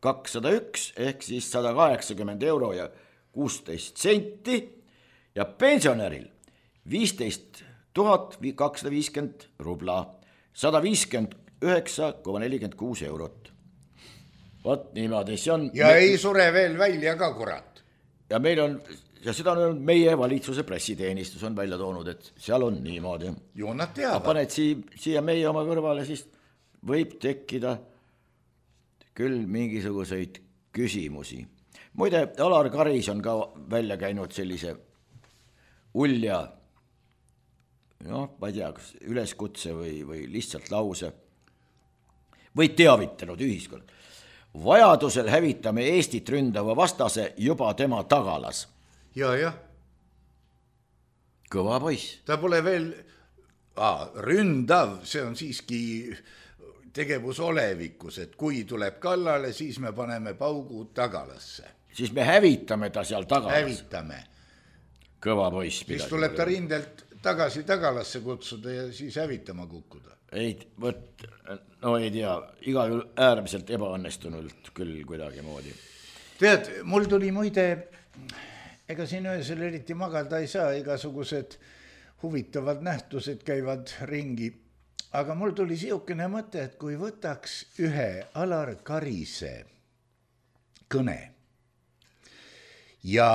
kakssada üks ehk siis sada kaheksakümmend euro ja kuusteist senti ja pensionäril viisteist tuhat kakssada viiskümmend rubla, sada viiskümmend üheksa koma nelikümmend kuus eurot. Vot niimoodi, see on... Ja me... ei sure veel välja ka, kurat. Ja meil on, ja seda on meie valitsuse pressiteenistus on välja toonud, et seal on niimoodi. Ju nad teavad. Paned siia, siia meie oma kõrvale, siis võib tekkida küll mingisuguseid küsimusi. Muide, Alar Karis on ka välja käinud sellise ulja, noh, ma ei tea, kas üleskutse või, või lihtsalt lause, või teavitanud ühiskond. Vajadusel hävitame Eestit ründava vastase juba tema tagalas. Ja, jah. Kõva poiss. Ta pole veel ah, ründav, see on siiski tegevus olevikus, et kui tuleb kallale, siis me paneme paugu tagalasse. Siis me hävitame ta seal tagalas. Hävitame. Kõva poiss. Siis tuleb ta rindelt tagasi tagalasse kutsuda ja siis hävitama kukkuda. Ei, võt, no ei tea, iga äärmiselt ebaõnnestunult küll kuidagi moodi. Tead, mul tuli muide, ega siin öösel eriti magada ei saa, igasugused huvitavad nähtused käivad ringi, aga mul tuli siukene mõte, et kui võtaks ühe Alar Karise kõne ja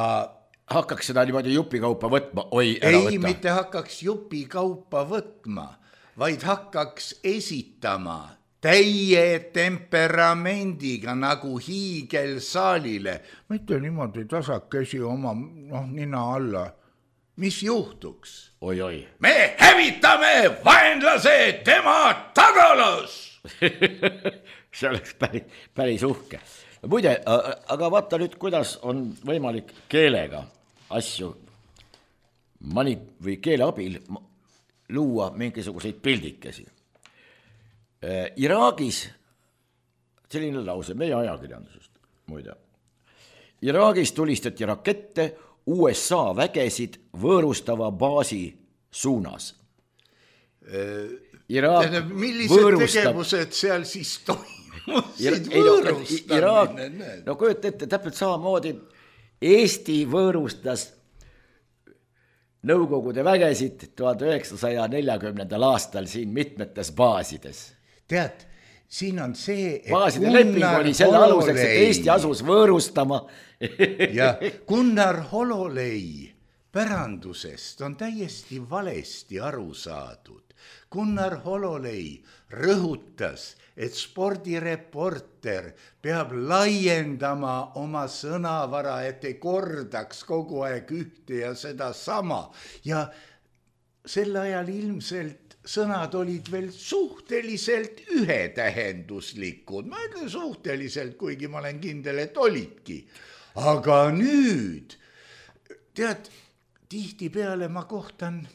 hakkaks seda niimoodi jupikaupa võtma, oi, ära ei, võtta. Ei, mitte hakkaks jupikaupa võtma, vaid hakkaks esitama täie temperamendiga nagu hiigelsaalile. Mitte niimoodi tasakesi oma noh, nina alla. Mis juhtuks? Oi, oi. Me hävitame vaenlase tema tagalas! See oleks päris, päris uhke. Muide, aga vaata nüüd, kuidas on võimalik keelega asju mani- või keele abil luua mingisuguseid pildikesi. Iraagis, selline lause meie ajakirjandusest, muide. Iraagis tulistati rakette U S A vägesid võõrustava baasi suunas. Iraak millised võõrustab... tegevused seal siis toimusid võõrustamine? No kujuta ette, täpselt samamoodi Eesti võõrustas Nõukogude vägesid tuhat üheksasaja neljakümnendal aastal siin mitmetes baasides. Tead, siin on see, et baaside leping oli selle aluseks, et Eesti asus võõrustama. Ja Gunnar Hololei pärandusest on täiesti valesti aru saadud. Gunnar Hololei rõhutas, et spordireporter peab laiendama oma sõnavara, et ei kordaks kogu aeg ühte ja seda sama. Ja sel ajal ilmselt sõnad olid veel suhteliselt ühetähenduslikud. Ma ütlen suhteliselt, kuigi ma olen kindel, et olidki. Aga nüüd, tead, tihti peale ma kohtan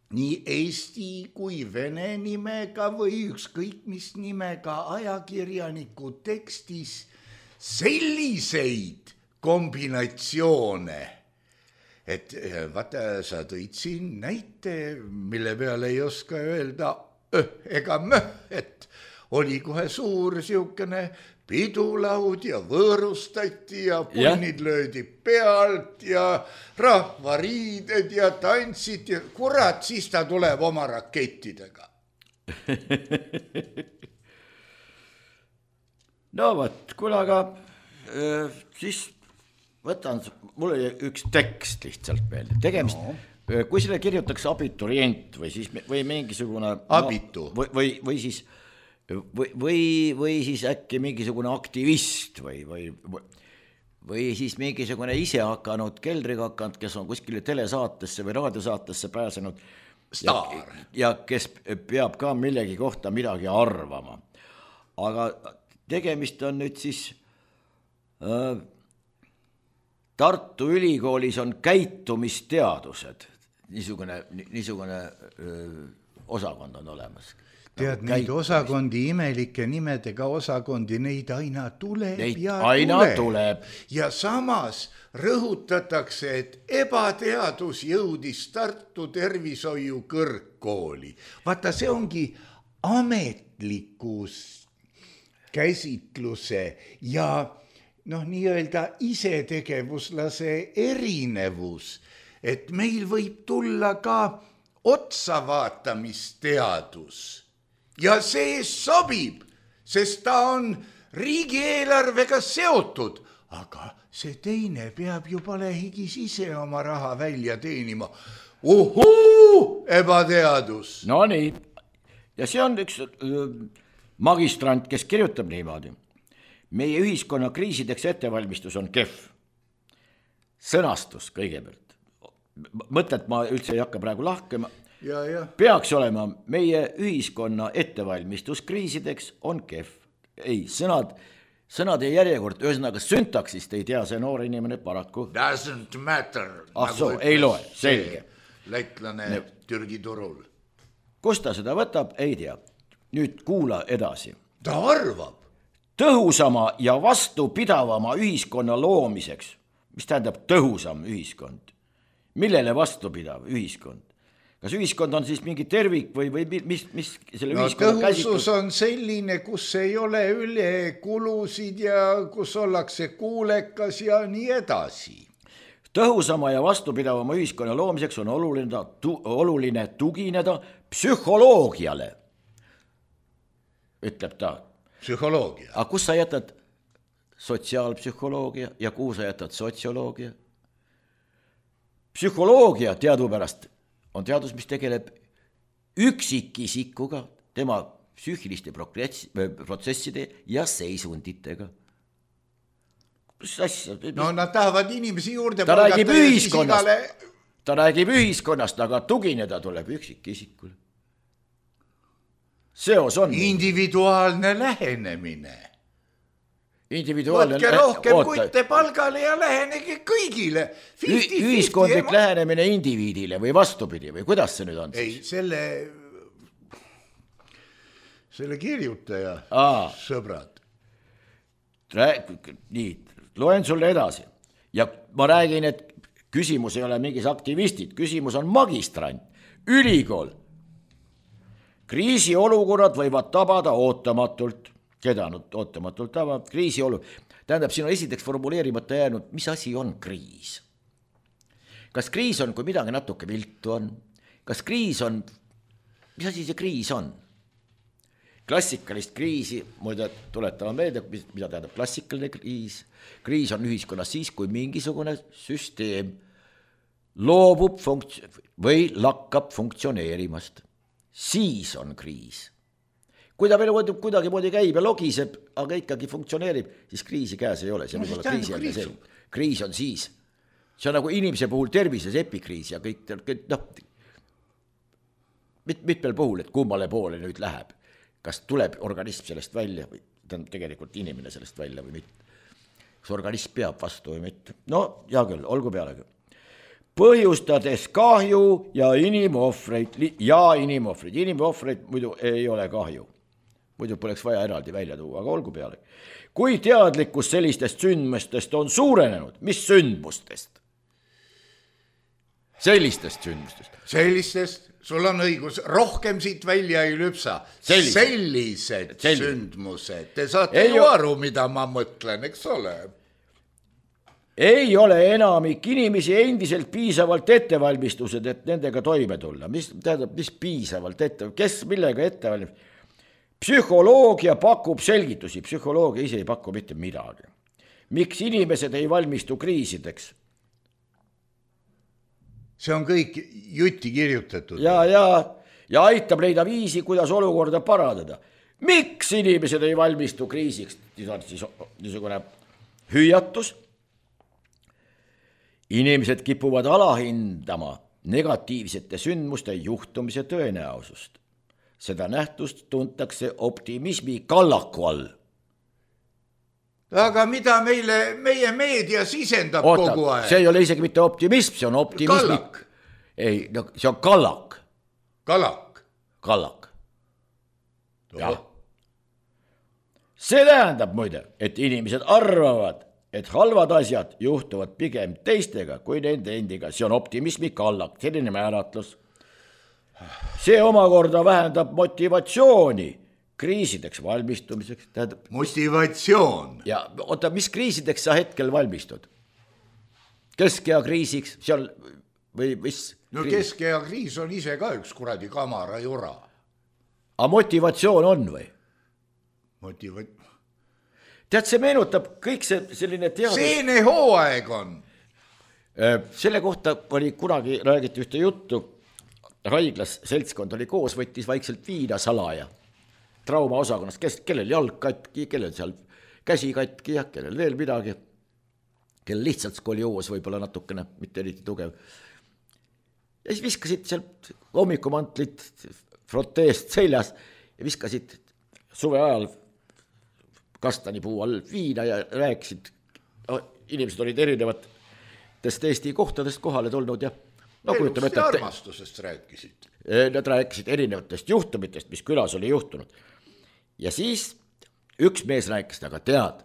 nii Eesti kui vene nimega või ükskõik mis nimega ajakirjaniku tekstis selliseid kombinatsioone, et vaata, sa tõid siin näite, mille peale ei oska öelda öh ega möh, et oli kohe suur siukene pidulaud ja võõrustati ja punnid löödi pealt ja rahvariided ja tantsid ja kurat, siis ta tuleb oma rakettidega. No võt, kuule, aga äh, siis võtan, mul oli üks tekst lihtsalt meelde. Tegemist, no. Kui selle kirjutaks abiturient või, siis, või mingisugune abitu no, või, või, või siis Või, või, või siis äkki mingisugune aktivist või, või, või siis mingisugune ise hakanud keldriga hakanud, kes on kuskile telesaatesse või raadiosaatesse pääsenud ja, ja kes peab ka millegi kohta midagi arvama. Aga tegemist on nüüd siis äh, Tartu Ülikoolis on käitumisteadused, niisugune, niisugune öö, osakond on olemas. Tead, neid osakondi, imelike nimedega osakondi, neid aina tuleb neid ja aina tuleb. tuleb. Ja samas rõhutatakse, et ebateadus jõudis Tartu tervishoiu kõrgkooli. Vaata, see ongi ametlikus käsitluse ja noh, nii-öelda isetegevuslase erinevus, et meil võib tulla ka otsavaatamisteadus. Ja see sobib, sest ta on riigieelarvega seotud, aga see teine peab ju palehigis ise oma raha välja teenima. Uhuu, ebateadus. No nii, ja see on üks magistrant, kes kirjutab niimoodi. meie ühiskonna kriisideks ettevalmistus on kehv. Sõnastus kõigepealt. Mõtted ma üldse ei hakka praegu lahkema. Ja, ja. Peaks olema meie ühiskonna ettevalmistus kriisideks on kehv. Ei, sõnad, sõnad ei järjekord, ühesõnaga syntaksist ei tea see noor inimene paraku. Doesn't matter. Ah soo, ei loe, selge. Lätlane ne. Türgi turul. Kus ta seda võtab, ei tea. Nüüd kuula edasi. Ta arvab. Tõhusama ja vastupidavama ühiskonna loomiseks. Mis tähendab tõhusam ühiskond? Millele vastupidav ühiskond? Kas ühiskond on siis mingi tervik või, või mis, mis selle no, ühiskonna käsitlus? Tõhusus käsitlus? on selline, kus ei ole üle kulusid ja kus ollakse kuulekas ja nii edasi. Tõhusama ja vastupidavama ühiskonna loomiseks on oluline, tu, oluline tugineda psühholoogiale, ütleb ta. Psühholoogia. Aga kus sa jätad sotsiaalpsühholoogia ja kuhu sa jätad sotsioloogia? Psühholoogia teadupärast on teadus, mis tegeleb üksikisikuga, tema psüühiliste protsesside ja seisunditega. Asja? No nad tahavad inimesi juurde ta räägib ühiskonnast, igale... ta räägib ühiskonnast, aga tugineda tuleb üksikisikule. Seos on. Individuaalne lähenemine. Individuaalne Võtke rohkem oota. Kutte palgale ja lähenegi kõigile. fifty, ühiskondlik fifty lähenemine indiviidile või vastupidi või kuidas see nüüd on? Ei, selle, selle kirjutaja Aa. sõbrad. Rääg, nii, loen sulle edasi. Ja ma räägin, et küsimus ei ole mingis aktivistid, küsimus on magistrant, ülikool. Kriisiolukorrad võivad tabada ootamatult. Keda nüüd ootamatult tabab? Kriisiolu. Tähendab, siin on esiteks formuleerimata jäänud, mis asi on kriis? Kas kriis on, kui midagi natuke viltu on? Kas kriis on, mis asi see kriis on? Klassikalist kriisi, muide tuletama meelde, mida tähendab klassikaline kriis. Kriis on ühiskonnas siis, kui mingisugune süsteem loobub funkts- või lakkab funktsioneerimast. Siis on kriis. Kui ta veel kuidagi moodi käib ja logiseb, aga ikkagi funktsioneerib, siis kriisi käes ei ole. See no, kriisi kriis. kriis on siis. See on nagu inimese puhul tervises epikriis ja kõik, kõik noh, mit, mitmel puhul, et kummale poole nüüd läheb. Kas tuleb organism sellest välja või tegelikult inimene sellest välja või mitte. Kas organism peab vastu või mitte? No, hea küll, olgu pealegi. Põhjustades kahju ja inimohvreid ja inimohvreid. Inimohvreid muidu ei ole kahju. Muidu poleks vaja eraldi välja tuua, aga olgu peale. Kui teadlikkus sellistest sündmustest on suurenenud, mis sündmustest? Sellistest sündmustest. Sellistest, sul on õigus, rohkem siit välja ei lüpsa. Sellised, Sellised, Sellised. sündmused. Te saate ei ju aru, mida ma mõtlen, eks ole? Ei ole enamik inimesi endiselt piisavalt ettevalmistused, et nendega toime tulla. Mis tähendab, mis piisavalt ette, kes millega ettevalmistused? Psühholoogia pakub selgitusi, psühholoogia ise ei paku mitte midagi. Miks inimesed ei valmistu kriisideks? See on kõik jutti kirjutatud. Ja, ja, ja aitab leida viisi, kuidas olukorda parandada. Miks inimesed ei valmistu kriisiks? Siis on siis niisugune hüüatus. Inimesed kipuvad alahindama negatiivsete sündmuste juhtumise tõenäosust. Seda nähtust tuntakse optimismi kallaku all. Aga mida meile, meie meedia sisendab Oota, kogu aeg? See ei ole isegi mitte optimism, see on optimismi. Kallak. Ei, no, see on kallak. Kallak. Kallak. Jah. See tähendab muide, et inimesed arvavad, et halvad asjad juhtuvad pigem teistega kui nende endiga. See on optimismi kallak, selline määratlus. See omakorda vähendab motivatsiooni kriisideks valmistumiseks. Tähendab, motivatsioon. Ja oota, mis kriisideks sa hetkel valmistud? Keskea kriisiks seal või mis? No keskea kriis on ise ka üks kuradi kamara jura. Aga motivatsioon on või? Motivat... Tead, see meenutab kõik see selline teadus... Seene hooaeg on. Selle kohta oli kunagi räägiti ühte juttu. Haiglas seltskond oli koos, võttis vaikselt viina salaja. Trauma osakonnast, kes, kellel jalg katki, kellel seal käsi katki ja kellel veel midagi, kellel lihtsalt skolioos võib-olla natukene, mitte eriti tugev. Ja siis viskasid sealt hommikumantlid froteest seljas ja viskasid suve ajal kastanipuu all viina ja rääkisid, inimesed olid erinevatest Eesti kohtadest kohale tulnud ja no, elust ja armastusest rääkisid. Nad rääkisid erinevatest juhtumitest, mis külas oli juhtunud. Ja siis üks mees rääkis, aga tead,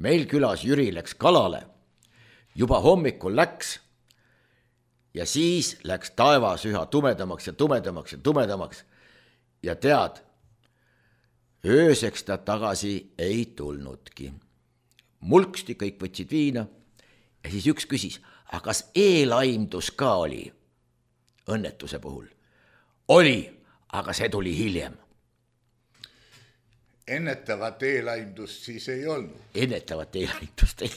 meil külas Jüri läks kalale, juba hommikul läks ja siis läks taevas üha tumedamaks ja tumedamaks ja tumedamaks ja tead, ööseks ta tagasi ei tulnudki. Mulksti kõik võtsid viina ja siis üks küsis, aga kas eelaimdus ka oli õnnetuse puhul? Oli, aga see tuli hiljem. Ennetavat eelaimdust siis ei olnud. Ennetavat eelaimdust ei.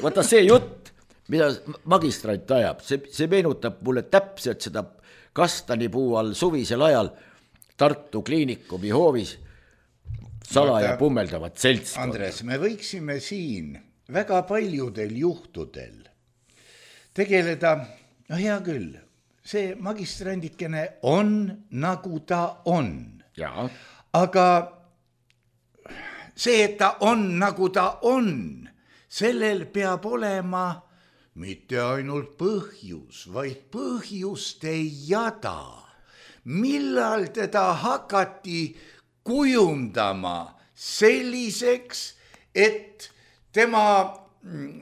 Vaata see jutt, mida magistrant ajab, see, see meenutab mulle täpselt seda kastanipuu all suvisel ajal Tartu kliinikumi hoovis salaja pummeldavat seltskonda. Andres, me võiksime siin väga paljudel juhtudel tegeleda, no hea küll, see magistrandikene on nagu ta on. Ja. Aga see, et ta on nagu ta on, sellel peab olema mitte ainult põhjus, vaid põhjuste jada. Millal teda hakati kujundama selliseks, et tema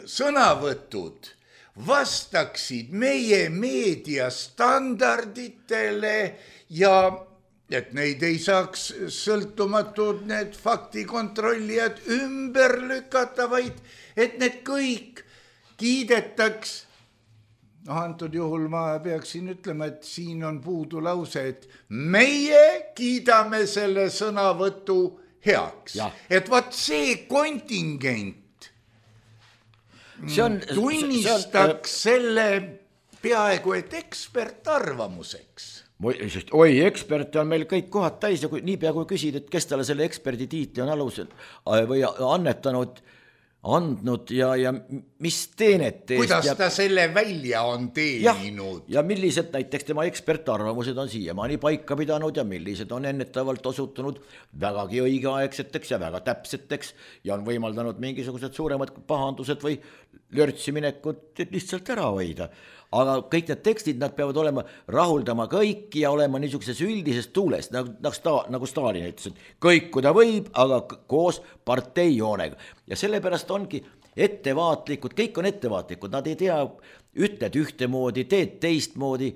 sõnavõtud vastaksid meie meedia standarditele ja et neid ei saaks sõltumatud need faktikontrollijad ümber lükata, vaid et need kõik kiidetaks. No, antud juhul ma peaksin ütlema, et siin on puudu lause, et meie kiidame selle sõnavõtu heaks. Ja. Et vaat see kontingent see on, tunnistaks see on, selle peaaegu et ekspertarvamuseks. Oi, eksperte on meil kõik kohad täis ja kui, nii pea kui küsid, et kes talle selle eksperdi tiitli on alusel või annetanud, andnud ja, ja mis teenet teest. Kuidas ja, ta selle välja on teeninud. Ja, ja millised näiteks tema ekspertarvamused on siiamaani paika pidanud ja millised on ennetavalt osutunud vägagi õigeaegseteks ja väga täpseteks ja on võimaldanud mingisugused suuremad pahandused või lörtsiminekud lihtsalt ära hoida. Aga kõik need tekstid, nad peavad olema rahuldama kõiki ja olema niisuguses üldises tuules, nagu, nagu, nagu Stalin ütles, et kõik kuda võib, aga koos parteijoonega. Ja sellepärast ongi ettevaatlikud, kõik on ettevaatlikud, nad ei tea, ütled ühtemoodi, teed teistmoodi,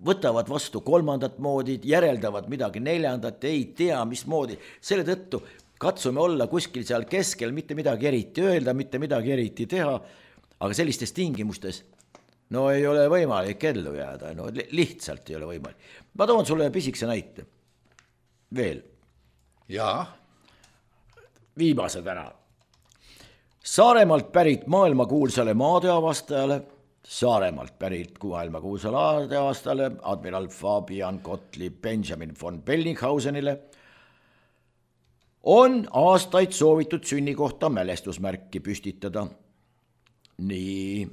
võtavad vastu kolmandat moodi, järeldavad midagi neljandat, ei tea mismoodi. Selle tõttu katsume olla kuskil seal keskel, mitte midagi eriti öelda, mitte midagi eriti teha, aga sellistes tingimustes no ei ole võimalik ellu jääda, no lihtsalt ei ole võimalik. Ma toon sulle pisikse näite. Veel. Jaa. Viimase täna. Saaremaalt pärit maailmakuulsale maadeavastajale, Saaremaalt pärit maailmakuulsale maadeavastajale, admiral Fabian Gottlieb Benjamin von Bellinghausenile on aastaid soovitud sünnikohta mälestusmärki püstitada. Nii...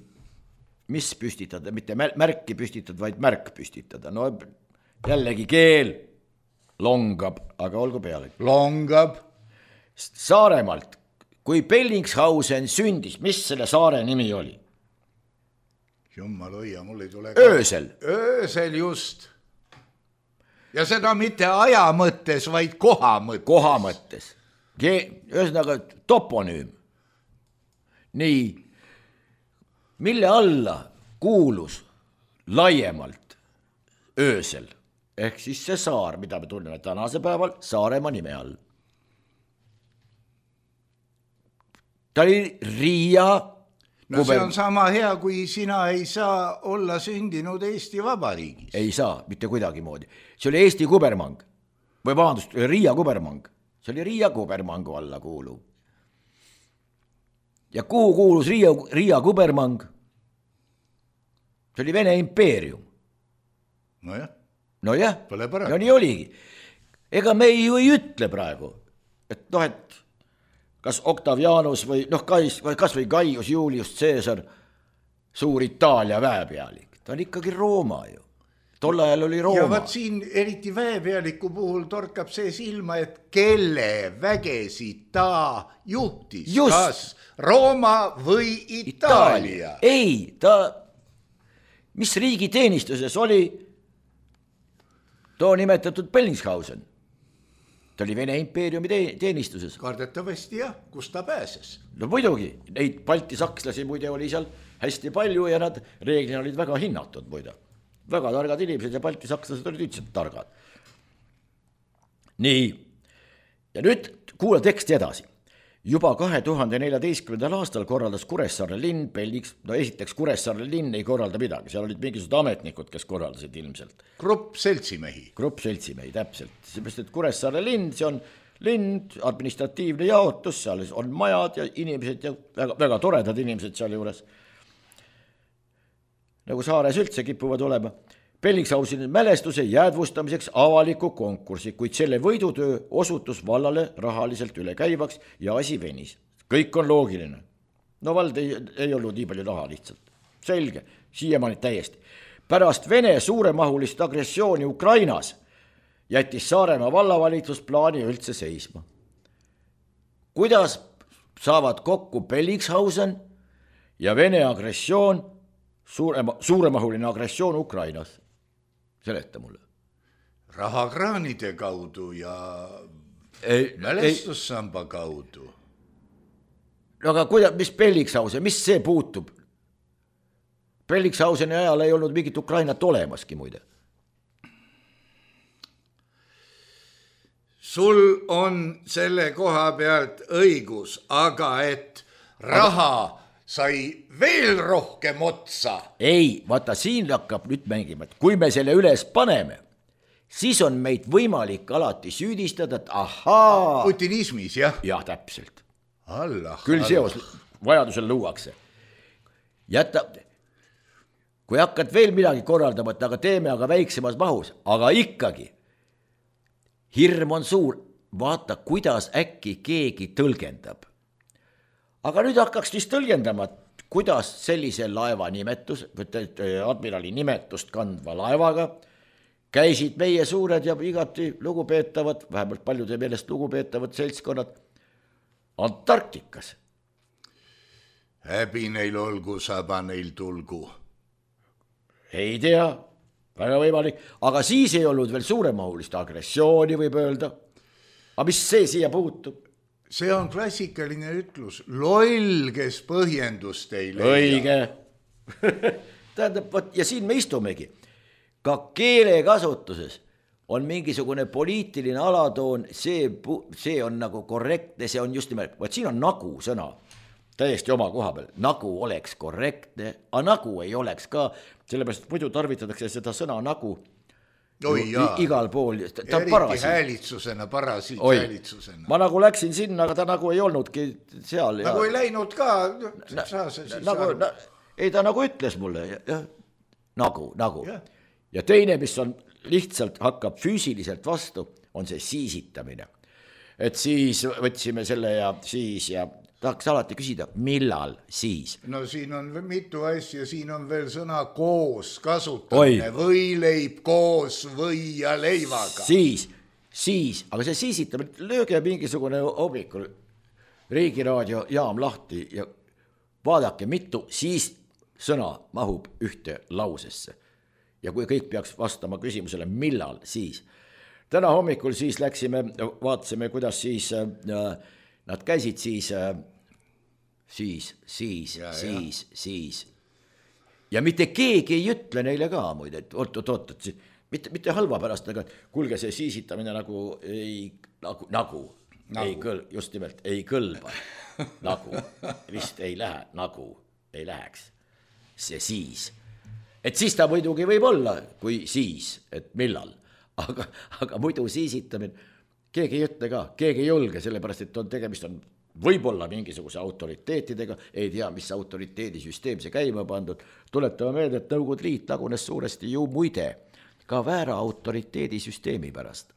mis püstitada, mitte märki püstitada, vaid märk püstitada. No jällegi keel longab, aga olgu peale. Longab. Saaremaalt, kui Bellingshausen sündis, mis selle saare nimi oli? Jummal hoia, mul ei tule... Öösel. Öösel just. Ja seda mitte aja mõttes, vaid koha mõttes. Koha mõttes. Ühesõnaga toponüüm. Nii... mille alla kuulus laiemalt öösel, ehk siis see saar, mida me tunneme tänase päeval Saaremaa nime all. Ta oli Riia no kuber... see on sama hea, kui sina ei saa olla sündinud Eesti Vabariigis. Ei saa, mitte kuidagi moodi. See oli Eesti kubermang, või vabandust, Riia kubermang. See oli Riia kubermangu alla kuuluv. Ja kuhu kuulus Riia, Riia kubermang? See oli Vene impeerium. No jah. No jah, no nii oligi. Ega me ju ei ütle praegu, et noh, et kas Octavianus või noh, kas või Gaius Julius Caesar, suur Itaalia väepealik, ta on ikkagi Rooma ju. Tol ajal oli Rooma. Ja vaat siin eriti väepealiku puhul torkab see silma, et kelle vägesid ta juhtis, Just. kas Rooma või Itaalia? Itaalia. Ei, ta, mis riigi teenistuses oli too nimetatud Bellingshausen. Ta oli Vene impeeriumi teenistuses. Kardetavasti jah, kus ta pääses? No muidugi, neid balti sakslasi muide oli seal hästi palju ja nad reeglina olid väga hinnatud muide. Väga targad inimesed ja balti sakslased olid üldiselt targad. Nii, ja nüüd kuula teksti edasi. Juba kahe tuhande neljateistkümnendal aastal korraldas Kuressaare linn Belliks, no esiteks Kuressaare linn ei korralda midagi, seal olid mingisugused ametnikud, kes korraldasid ilmselt. Grupp seltsimehi. Grupp seltsimehi, täpselt. Seepärast, et Kuressaare linn, see on linn, administratiivne jaotus, seal on majad ja inimesed ja väga, väga toredad inimesed seal juures. Nagu saares üldse kipuvad olema. Bellingshausen mälestuse jäädvustamiseks avaliku konkursi, kuid selle võidutöö osutus vallale rahaliselt üle käivaks ja asi venis. Kõik on loogiline. No vald ei, ei olnud nii palju raha lihtsalt. Selge, siiamaani täiesti. Pärast Vene suuremahulist agressiooni Ukrainas jättis Saaremaa vallavalitsus plaani üldse seisma. Kuidas saavad kokku Bellingshausen ja Vene agressioon, suurema, suuremahuline agressioon Ukrainas? Seleta mulle. Rahakraanide kaudu ja ei, mälestussamba ei. kaudu. No aga kuidas, mis Bellingshausen, mis see puutub? Bellingshauseni ajal ei olnud mingit Ukrainat olemaski muide. Sul on selle koha pealt õigus, aga et raha sai veel rohkem otsa. Ei, vaata siin hakkab nüüd mängima, et kui me selle üles paneme, siis on meid võimalik alati süüdistada, et ahaa. Putinismis, jah? Jah, täpselt. Allah, Küll Allah. seos vajadusel luuakse. Jätta, kui hakkad veel midagi korraldama, et aga teeme aga väiksemas mahus, aga ikkagi hirm on suur, vaata kuidas äkki keegi tõlgendab. Aga nüüd hakkaks vist tõlgendama, kuidas sellise laeva nimetus, admirali nimetust kandva laevaga käisid meie suured ja igati lugupeetavad, vähemalt paljude meelest lugupeetavad seltskonnad Antarktikas. Häbi neil olgu, saba neil tulgu. Ei tea, väga võimalik, aga siis ei olnud veel suuremahulist agressiooni, võib öelda. Aga mis see siia puutub? See on klassikaline ütlus. Loll, kes põhjendust ei leia. Õige. Tähendab, ja siin me istumegi. Ka keelekasutuses on mingisugune poliitiline alatoon, see, see on nagu korrektne, see on just nimelt, vaat siin on nagu sõna, täiesti oma koha peal, nagu oleks korrektne, aga nagu ei oleks ka, sellepärast muidu tarvitatakse seda sõna nagu Oi, jaa. igal pool, ta on eriti parasiit. häälitsusena, parasiit Oi. häälitsusena. Ma nagu läksin sinna, aga ta nagu ei olnudki seal. Nagu ja... ei läinud ka, saa see siis nagu, aru. Na, ei ta nagu ütles mulle, ja, nagu, nagu. Ja. ja teine, mis on lihtsalt hakkab füüsiliselt vastu, on see siisitamine. Et siis võtsime selle ja siis ja tahaks alati küsida, millal siis? No siin on mitu asja, siin on veel sõna koos kasutamine, võileib koos või ja leivaga. Siis, siis, aga see siisitamine, lööge mingisugune hommikul Riigiraadio jaam lahti ja vaadake, mitu siis sõna mahub ühte lausesse. Ja kui kõik peaks vastama küsimusele, millal siis. Täna hommikul siis läksime, vaatasime, kuidas siis äh, nad käisid siis, äh, siis, siis, ja, siis, ja. siis. Ja mitte keegi ei ütle neile ka muide, et oot, oot, oot, et mitte, mitte halva pärast, aga kuulge see siisitamine nagu ei, nagu, nagu, nagu. Ei kõl, just nimelt, ei kõlba, nagu, vist ei lähe, nagu, ei läheks, see siis. Et siis ta muidugi võib olla, kui siis, et millal, aga, aga muidu siisitamine, keegi ei ütle ka, keegi ei julge, sellepärast, et on tegemist on võib-olla mingisuguse autoriteetidega, ei tea, mis autoriteedisüsteem see käima pandud, tuletame meelde, et Nõukogude Liit lagunes suuresti ju muide ka väära autoriteedisüsteemi pärast.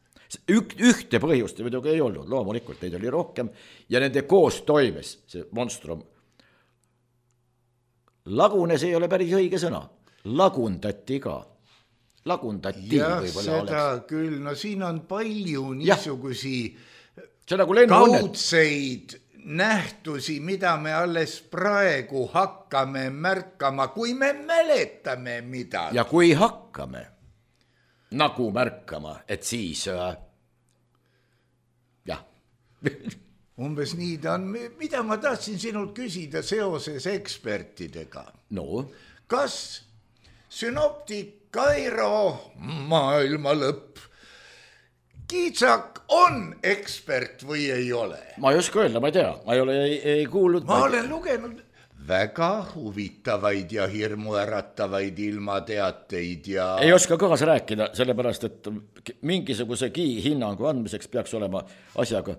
Ük, ühte põhjust muidugi ei olnud, loomulikult neid oli rohkem ja nende koos toimes see monstrum lagunes ei ole päris õige sõna, lagundati ka, lagundati jah, võib-olla seda oleks. Küll, no siin on palju niisugusi nagu kaudseid nähtusi, mida me alles praegu hakkame märkama, kui me mäletame midagi. Ja kui hakkame nagu märkama, et siis äh, jah. Umbes nii ta on. Mida ma tahtsin sinult küsida seoses ekspertidega? No? Kas sünoptik Kairo maailma lõpp Kiitsak on ekspert või ei ole? Ma ei oska öelda, ma ei tea, ma ei ole ei, ei kuulnud. Ma, ma olen lugenud väga huvitavaid ja hirmuäratavaid ilmateateid ja... Ei oska kaasa rääkida, sellepärast, et mingisugusegi hinnangu andmiseks peaks olema asjaga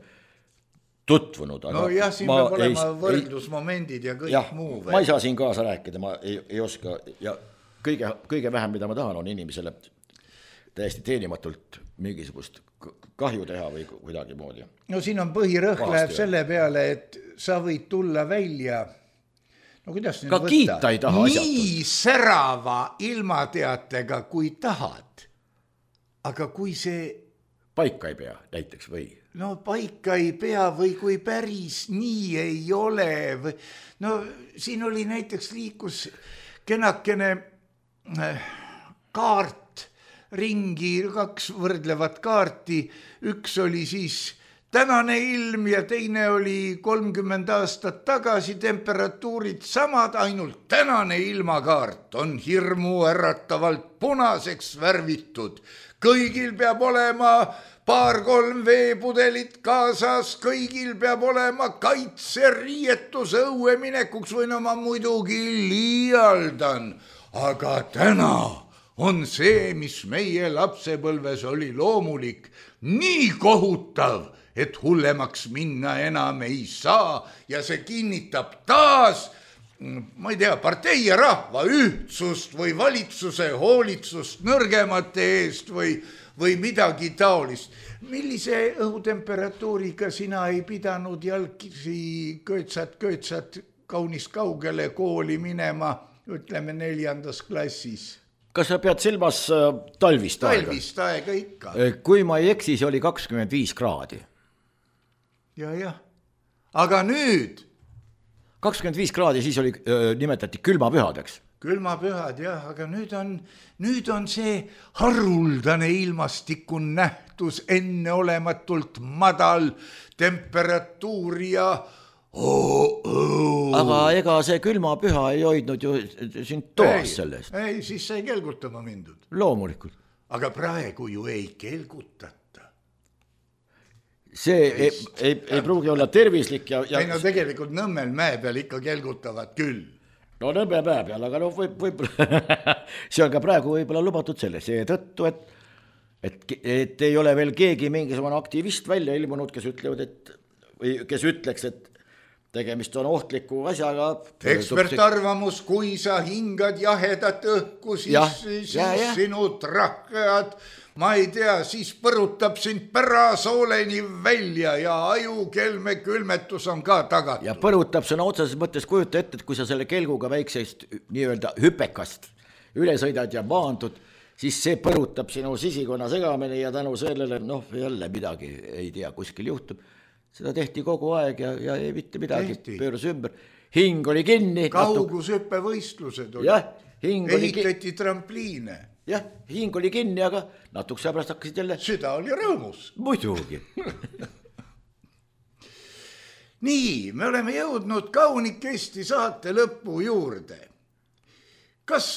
tutvunud. Aga no jah, siin peab olema ei, võrdlusmomendid ja kõik jah, muu. Ma ei saa siin kaasa rääkida, ma ei, ei oska ja kõige, kõige vähem, mida ma tahan, on inimesele täiesti teenimatult mingisugust kahju teha või kuidagi moodi. No siin on põhirõhk läheb selle peale, et sa võid tulla välja, no kuidas nüüd ka võtta? Kiita ei taha nii asjatult. särava ilmateatega, kui tahad. Aga kui see... paika ei pea näiteks või? No paika ei pea või kui päris nii ei ole. Või... No siin oli näiteks liikus kenakene kaart ringi, kaks võrdlevat kaarti, üks oli siis tänane ilm ja teine oli kolmkümmend aastat tagasi, temperatuurid samad, ainult tänane ilmakaart on hirmu äratavalt punaseks värvitud. Kõigil peab olema paar-kolm veepudelit kaasas, kõigil peab olema kaitseriietus õue minekuks või no ma muidugi liialdan, aga täna on see, mis meie lapsepõlves oli loomulik, nii kohutav, et hullemaks minna enam ei saa ja see kinnitab taas, ma ei tea, partei ja rahva ühtsust või valitsuse hoolitsust nõrgemate eest või, või midagi taolist. Millise õhutemperatuuriga sina ei pidanud jalgisi köötsat-köötsat kaunis kaugele kooli minema, ütleme neljandas klassis? Kas sa pead silmas talvist aega? Talvist aega ikka. Kui ma ei eksi, see oli kakskümmend viis kraadi. Ja, jah. Aga nüüd? kakskümmend viis kraadi, siis oli, nimetati külmapühadeks. Külmapühad, jah, aga nüüd on, nüüd on see haruldane ilmastikun nähtus enneolematult madal temperatuur ja Oh, oh. Aga ega see külmapüha ei hoidnud ju sind toas sellest. Ei, siis sai kelgutama mindud. Loomulikult. Aga praegu ju ei kelgutata. See ei, ei, ei pruugi olla tervislik. Ja, ja... ei no tegelikult Nõmmel mäe peal ikka kelgutavad küll. No Nõmme mäe peal, aga no võib, võib... see on ka praegu võib-olla lubatud selle. See tõttu, et, et, et ei ole veel keegi mingisugune aktivist välja ilmunud, kes ütlevad, et, või kes ütleks, et tegemist on ohtliku asjaga. Ekspertarvamus, kui sa hingad jahedat õhku, siis, ja, siis ja, ja. sinu trahkead, ma ei tea, siis põrutab sind pärasooleni välja ja ajukelme külmetus on ka tagatud. Ja põrutab sõna otseses mõttes, kujuta ette, et kui sa selle kelguga väiksest nii-öelda hüpekast üle sõidad ja maandud, siis see põrutab sinu sisikonna segamine ja tänu sellele, noh, jälle midagi ei tea, kuskil juhtub. Seda tehti kogu aeg ja, ja ei mitte midagi, pööras ümber. Hing oli kinni. Kaugushüppe võistlused oli. Jah, hing oli ehitati ki... trampliine. Jah, hing oli kinni, aga natuks pärast hakkasid jälle. Süda oli rõõmus. Muidugi. Nii, me oleme jõudnud kaunikesti saate lõppu juurde. Kas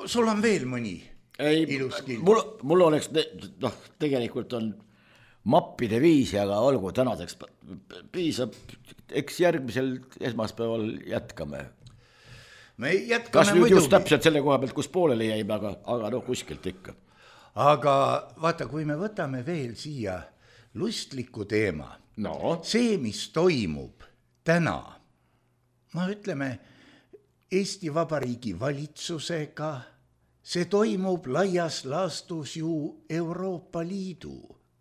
sul on veel mõni ei, ilus kild? Mul, mul oleks, noh, tegelikult on mappide viisi, aga olgu tänaseks piisab, eks järgmisel esmaspäeval jätkame. Me jätkame kas nüüd muidugi. Just täpselt selle koha pealt, kus pooleli jäime, aga, aga no kuskilt ikka. Aga vaata, kui me võtame veel siia lustliku teema, no. see, mis toimub täna, no ütleme, Eesti Vabariigi valitsusega, see toimub laias laastus ju Euroopa Liidu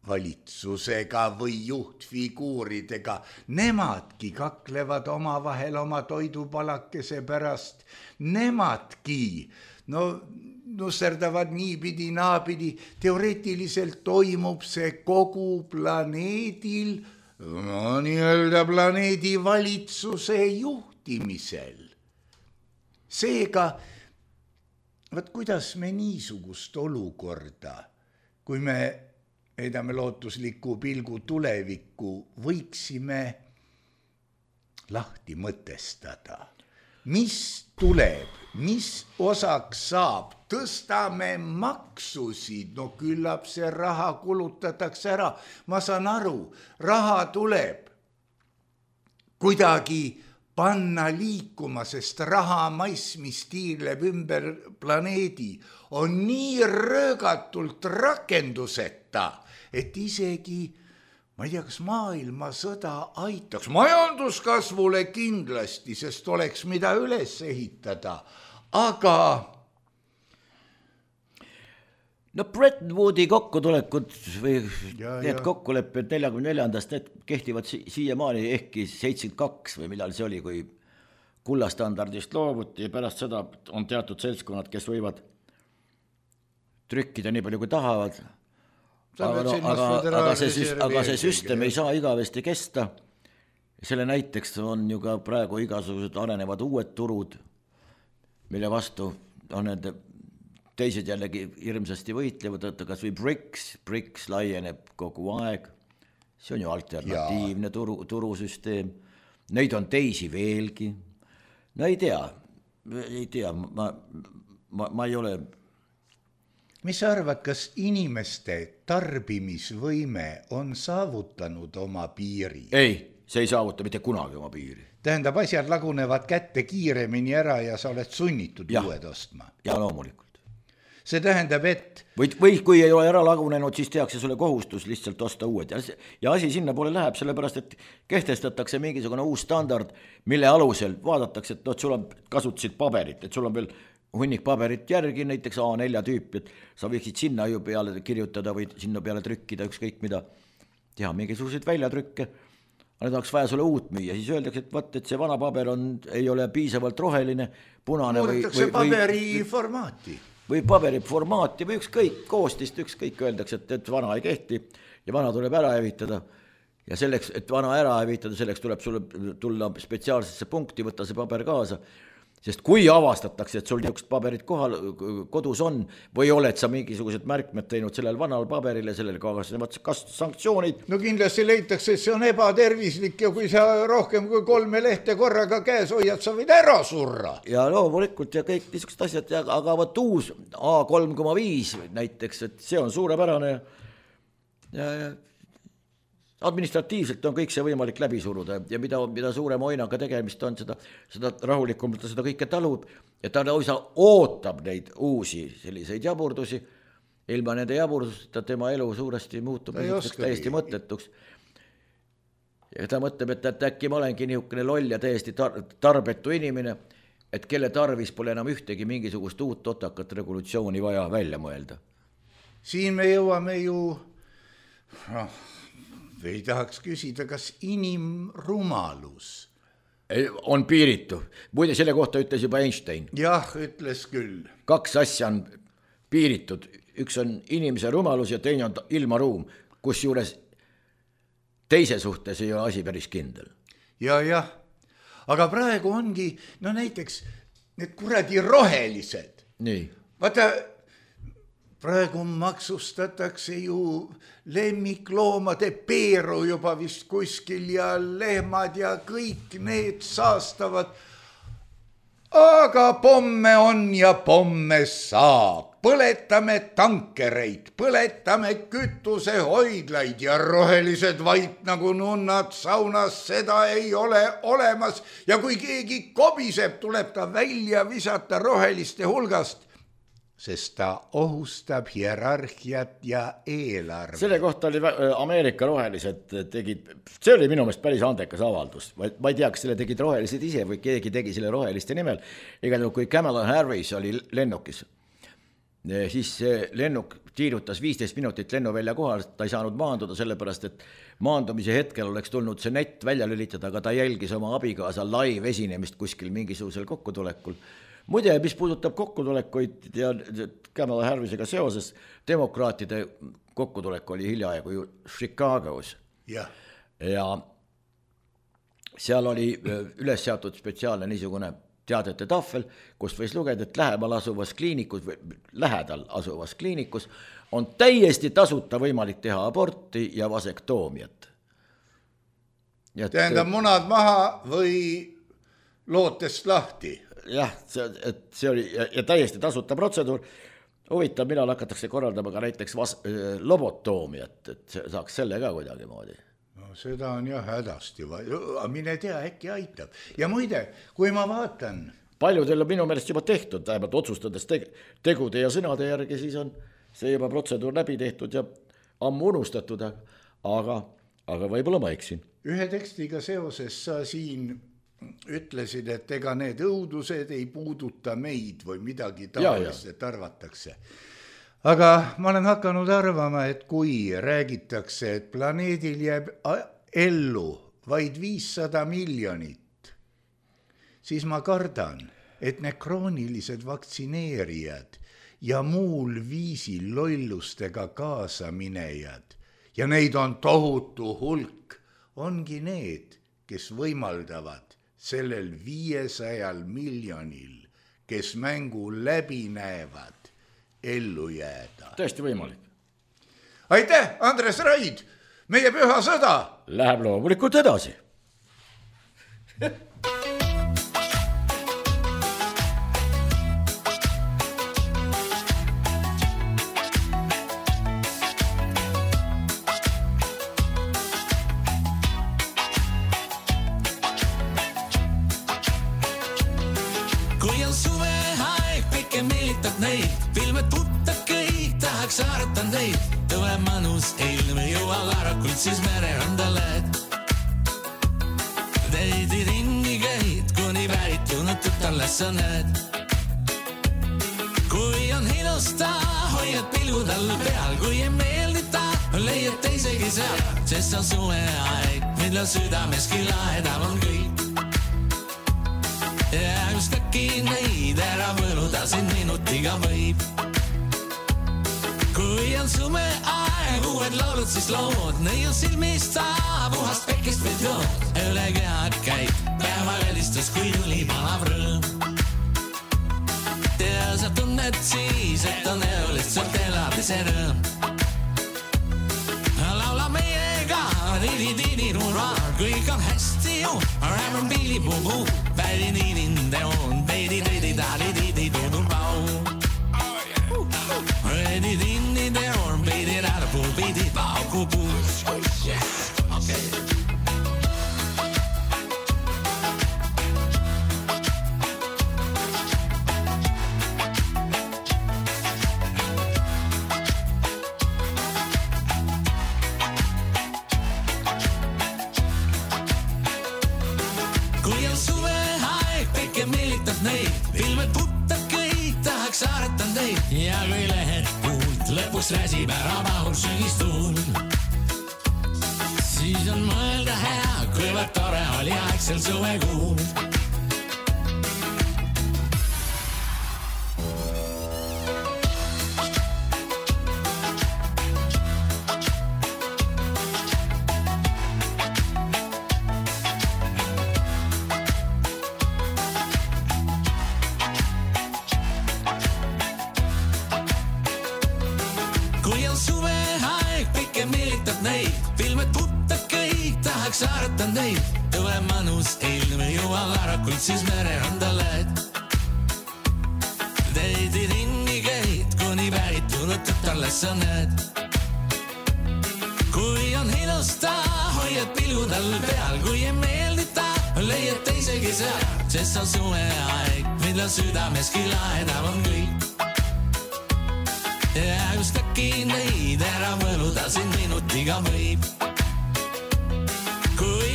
valitsusega või juhtfiguuridega, nemadki kaklevad omavahel oma toidupalakese pärast, nemadki no nusserdavad niipidi, naapidi, teoreetiliselt toimub see kogu planeedil, no nii-öelda planeedi valitsuse juhtimisel. Seega, võt kuidas me niisugust olukorda, kui me heidame lootusliku pilgu tulevikku, võiksime lahti mõtestada. Mis tuleb, mis osaks saab, tõstame maksusid, no küllap see raha kulutatakse ära. Ma saan aru, raha tuleb kuidagi panna liikuma, sest raha mass, mis tiirleb ümber planeedi, on nii röögatult rakenduseta, et isegi, ma ei tea, kas maailmasõda aitaks, majanduskasvule kindlasti, sest oleks mida üles ehitada, aga no Bretton Woodi kokkutulekud või Ja, need ja. kokkulepped neljakümne neljandast, need kehtivad si- siiamaani ehkki seitsekümmend kaks või millal see oli, kui kullastandardist loovuti ja pärast seda on teatud seltskonnad, kes võivad trükkida nii palju kui tahavad. Sa Aga, pead no, silmas aga, aga, see, föderaalreservi aga see eelkõige, süsteem jah. ei saa igavesti kesta. Selle näiteks on ju ka praegu igasugused arenevad uued turud, mille vastu on need teised jällegi hirmsasti võitlevad, et kas või BRICS, BRICS laieneb kogu aeg, see on ju alternatiivne turu, turusüsteem, neid on teisi veelgi, no ei tea, ei tea, ma, ma, ma ei ole... mis sa arvad, kas inimeste tarbimisvõime on saavutanud oma piiri? Ei, see ei saavuta mitte kunagi oma piiri. Tähendab, asjad lagunevad kätte kiiremini ära ja sa oled sunnitud Ja. uued ostma. Ja loomulikult. See tähendab, et Või, või kui ei ole ära lagunenud, siis tehakse sulle kohustus lihtsalt osta uued. Ja, ja asi sinna poole läheb, sellepärast, et kehtestatakse mingisugune uus standard, mille alusel vaadatakse, et no, sul on kasutasid paberit, et sul on veel hunnik paberit järgi, näiteks A neli tüüpi, et sa võiksid sinna ju peale kirjutada või sinna peale trükkida ükskõik mida, teha mingisuguseid väljatrükke. Nüüd oleks vaja sulle uut müüa, siis öeldakse, et vaat, et see vana paber on, ei ole piisavalt roheline, punane või, muudetakse või, paberi või, formaati. või paberi formaati või ükskõik koostist, ükskõik öeldakse, et, et vana ei kehti ja vana tuleb ära hävitada. Ja selleks, et vana ära hävitada, selleks tuleb sulle tulla spetsiaalsesse punkti, võtta see paber kaasa. Sest kui avastatakse, et sul niisugust paberit kohal, kodus on või oled sa mingisugused märkmed teinud sellel vanal paberile, sellel kaasnevad kas sanktsioonid. No kindlasti leitakse, et see on ebatervislik ja kui sa rohkem kui kolme lehte korraga käes hoiad, sa võid ära surra. Ja loomulikult ja kõik niisugused asjad, aga võt uus A kolm koma viis näiteks, et see on suurepärane ja, ja administratiivselt on kõik see võimalik läbi suruda ja mida, mida suurema oinaga tegemist on, seda, seda rahulikumalt seda kõike talub ja ta oisa ootab neid uusi selliseid jaburdusi. Ilma nende jaburdusteta tema elu suuresti muutub täiesti mõttetuks. Ja ta mõtleb, et, et äkki ma olengi niisugune loll ja täiesti tar- tarbetu inimene, et kelle tarvis pole enam ühtegi mingisugust uut otakat regulatsiooni vaja välja mõelda. Siin me jõuame ju... noh, ei tahaks küsida, kas inimrumalus on piiritu. Muide, selle kohta ütles juba Einstein. jah, ütles küll. Kaks asja on piiritud. Üks on inimese rumalus ja teine on ilmaruum, kus juures teise suhtes ei ole asi päris kindel. Ja, jah. Aga praegu ongi, no näiteks need kuradi rohelised. Nii. Vaata, praegu maksustatakse ju lemmikloomade peeru juba vist kuskil ja lehmad ja kõik need saastavad. Aga pomme on ja pomme saab. Põletame tankereid, põletame kütusehoidlaid ja rohelised vait nagu nunnad saunas, seda ei ole olemas. Ja kui keegi kobiseb, tuleb ta välja visata roheliste hulgast, sest ta ohustab hierarhiat ja eelarve. Selle kohta oli Ameerika rohelised tegid, see oli minu meelest päris andekas avaldus. Ma ei tea, kas selle tegid rohelised ise või keegi tegi selle roheliste nimel. Igal juhul, kui Kamala Harris oli lennukis siis see lennuk tiirutas viisteist minutit lennuvälja kohal, ta ei saanud maanduda sellepärast, et maandumise hetkel oleks tulnud see nett välja lülitada, aga ta jälgis oma abikaasa live esinemist kuskil mingisugusel kokkutulekul. Muide, mis puudutab kokkutulekuid ja Kamala Harrisega seoses, demokraatide kokkutulek oli hiljaaegu ju Chicagos. Ja. ja seal oli üles seatud spetsiaalne niisugune teadete tahvel, kus võis lugeda, et lähemal asuvas kliinikus, lähedal asuvas kliinikus on täiesti tasuta võimalik teha aborti ja vasektoomiat. Tähendab munad maha või lootest lahti? Jah, see, et see oli ja, ja täiesti tasuta protseduur. Huvitav, millal hakatakse korraldama ka näiteks vas, lobotoomiat, et saaks selle ka kuidagi moodi. No seda on jah hädasti, mine tea, äkki aitab. Ja muide, kui ma vaatan... Palju teil on minu meelest juba tehtud, vähemalt otsustades tegude ja sõnade järgi, siis on see juba protseduur läbi tehtud ja ammu unustatud, aga, aga võib-olla ma eksin. Ühe tekstiga seoses sa siin ütlesid, et ega need õudused ei puuduta meid või midagi tavalist, et arvatakse. Aga ma olen hakanud arvama, et kui räägitakse, et planeedil jääb ellu vaid viissada miljonit, siis ma kardan, et need kroonilised vaktsineerijad ja muul viisil lollustega kaasaminejad, ja neid on tohutu hulk, ongi need, kes võimaldavad sellel viiesajal miljonil, kes mängu läbi näevad, ellu jääda. Tõesti võimalik. Aitäh, Andres Raid! Meie püha sõda! Läheb loomulikult edasi. Saartan teid, tõve manus ilm jõua varakult, siis mererandale. Teid ringi käid, kuni vääritunud tütarle sa näed. Kui on ilusta, hoiad pilgud all peal, kui ei meeldita, leiad teisegi seal, sest on suve aeg, mille südameski laedav on kõik. Ja just äkki neid ära võluda siin minutiga võib. Kui on sume aeg, uued laulud, siis lood, nõi on silmist saa, puhast pekist või jood. Üle kehad käid, päeva välistus, kui tuli palav rõõm. Ja sa tunned siis, et on elu lihtsalt elamise rõõm. Laula meiega, didi-didi-rura, kõik on hästi ju, räämän pili-pubu, pädi-didi-de on, peidi-didi-dali-didi-dudubau. Ready dinny there or beat it out of pool, beat it out, cool, cool. Yeah, okay. Kui on suve aeg, peke meelitab neid, ilmed puttad kõik, tahaks aretan teid. Ja kui lähed kuult, lõpus räsib ära mahul sügistuul. Siis on mõelda hea, kuivõrd tore oli aeg sel suvekuul. Saartan teid, tõve manus ilm jõua varakult, siis mererandale. Teid ringi käid, kuni vääritunud tütarle sa näed. Kui on ilusta, hoiad pilgud all peal, kui ei meeldita, leiad teisegi seal, sest on suve aeg, mille südameski laedav on kõik. Ja just äkki neid ära võluda siin minutiga võib. Kui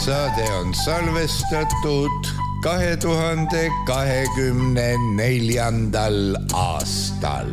Saade on salvestatud kahe tuhande kahekümne neljandal aastal.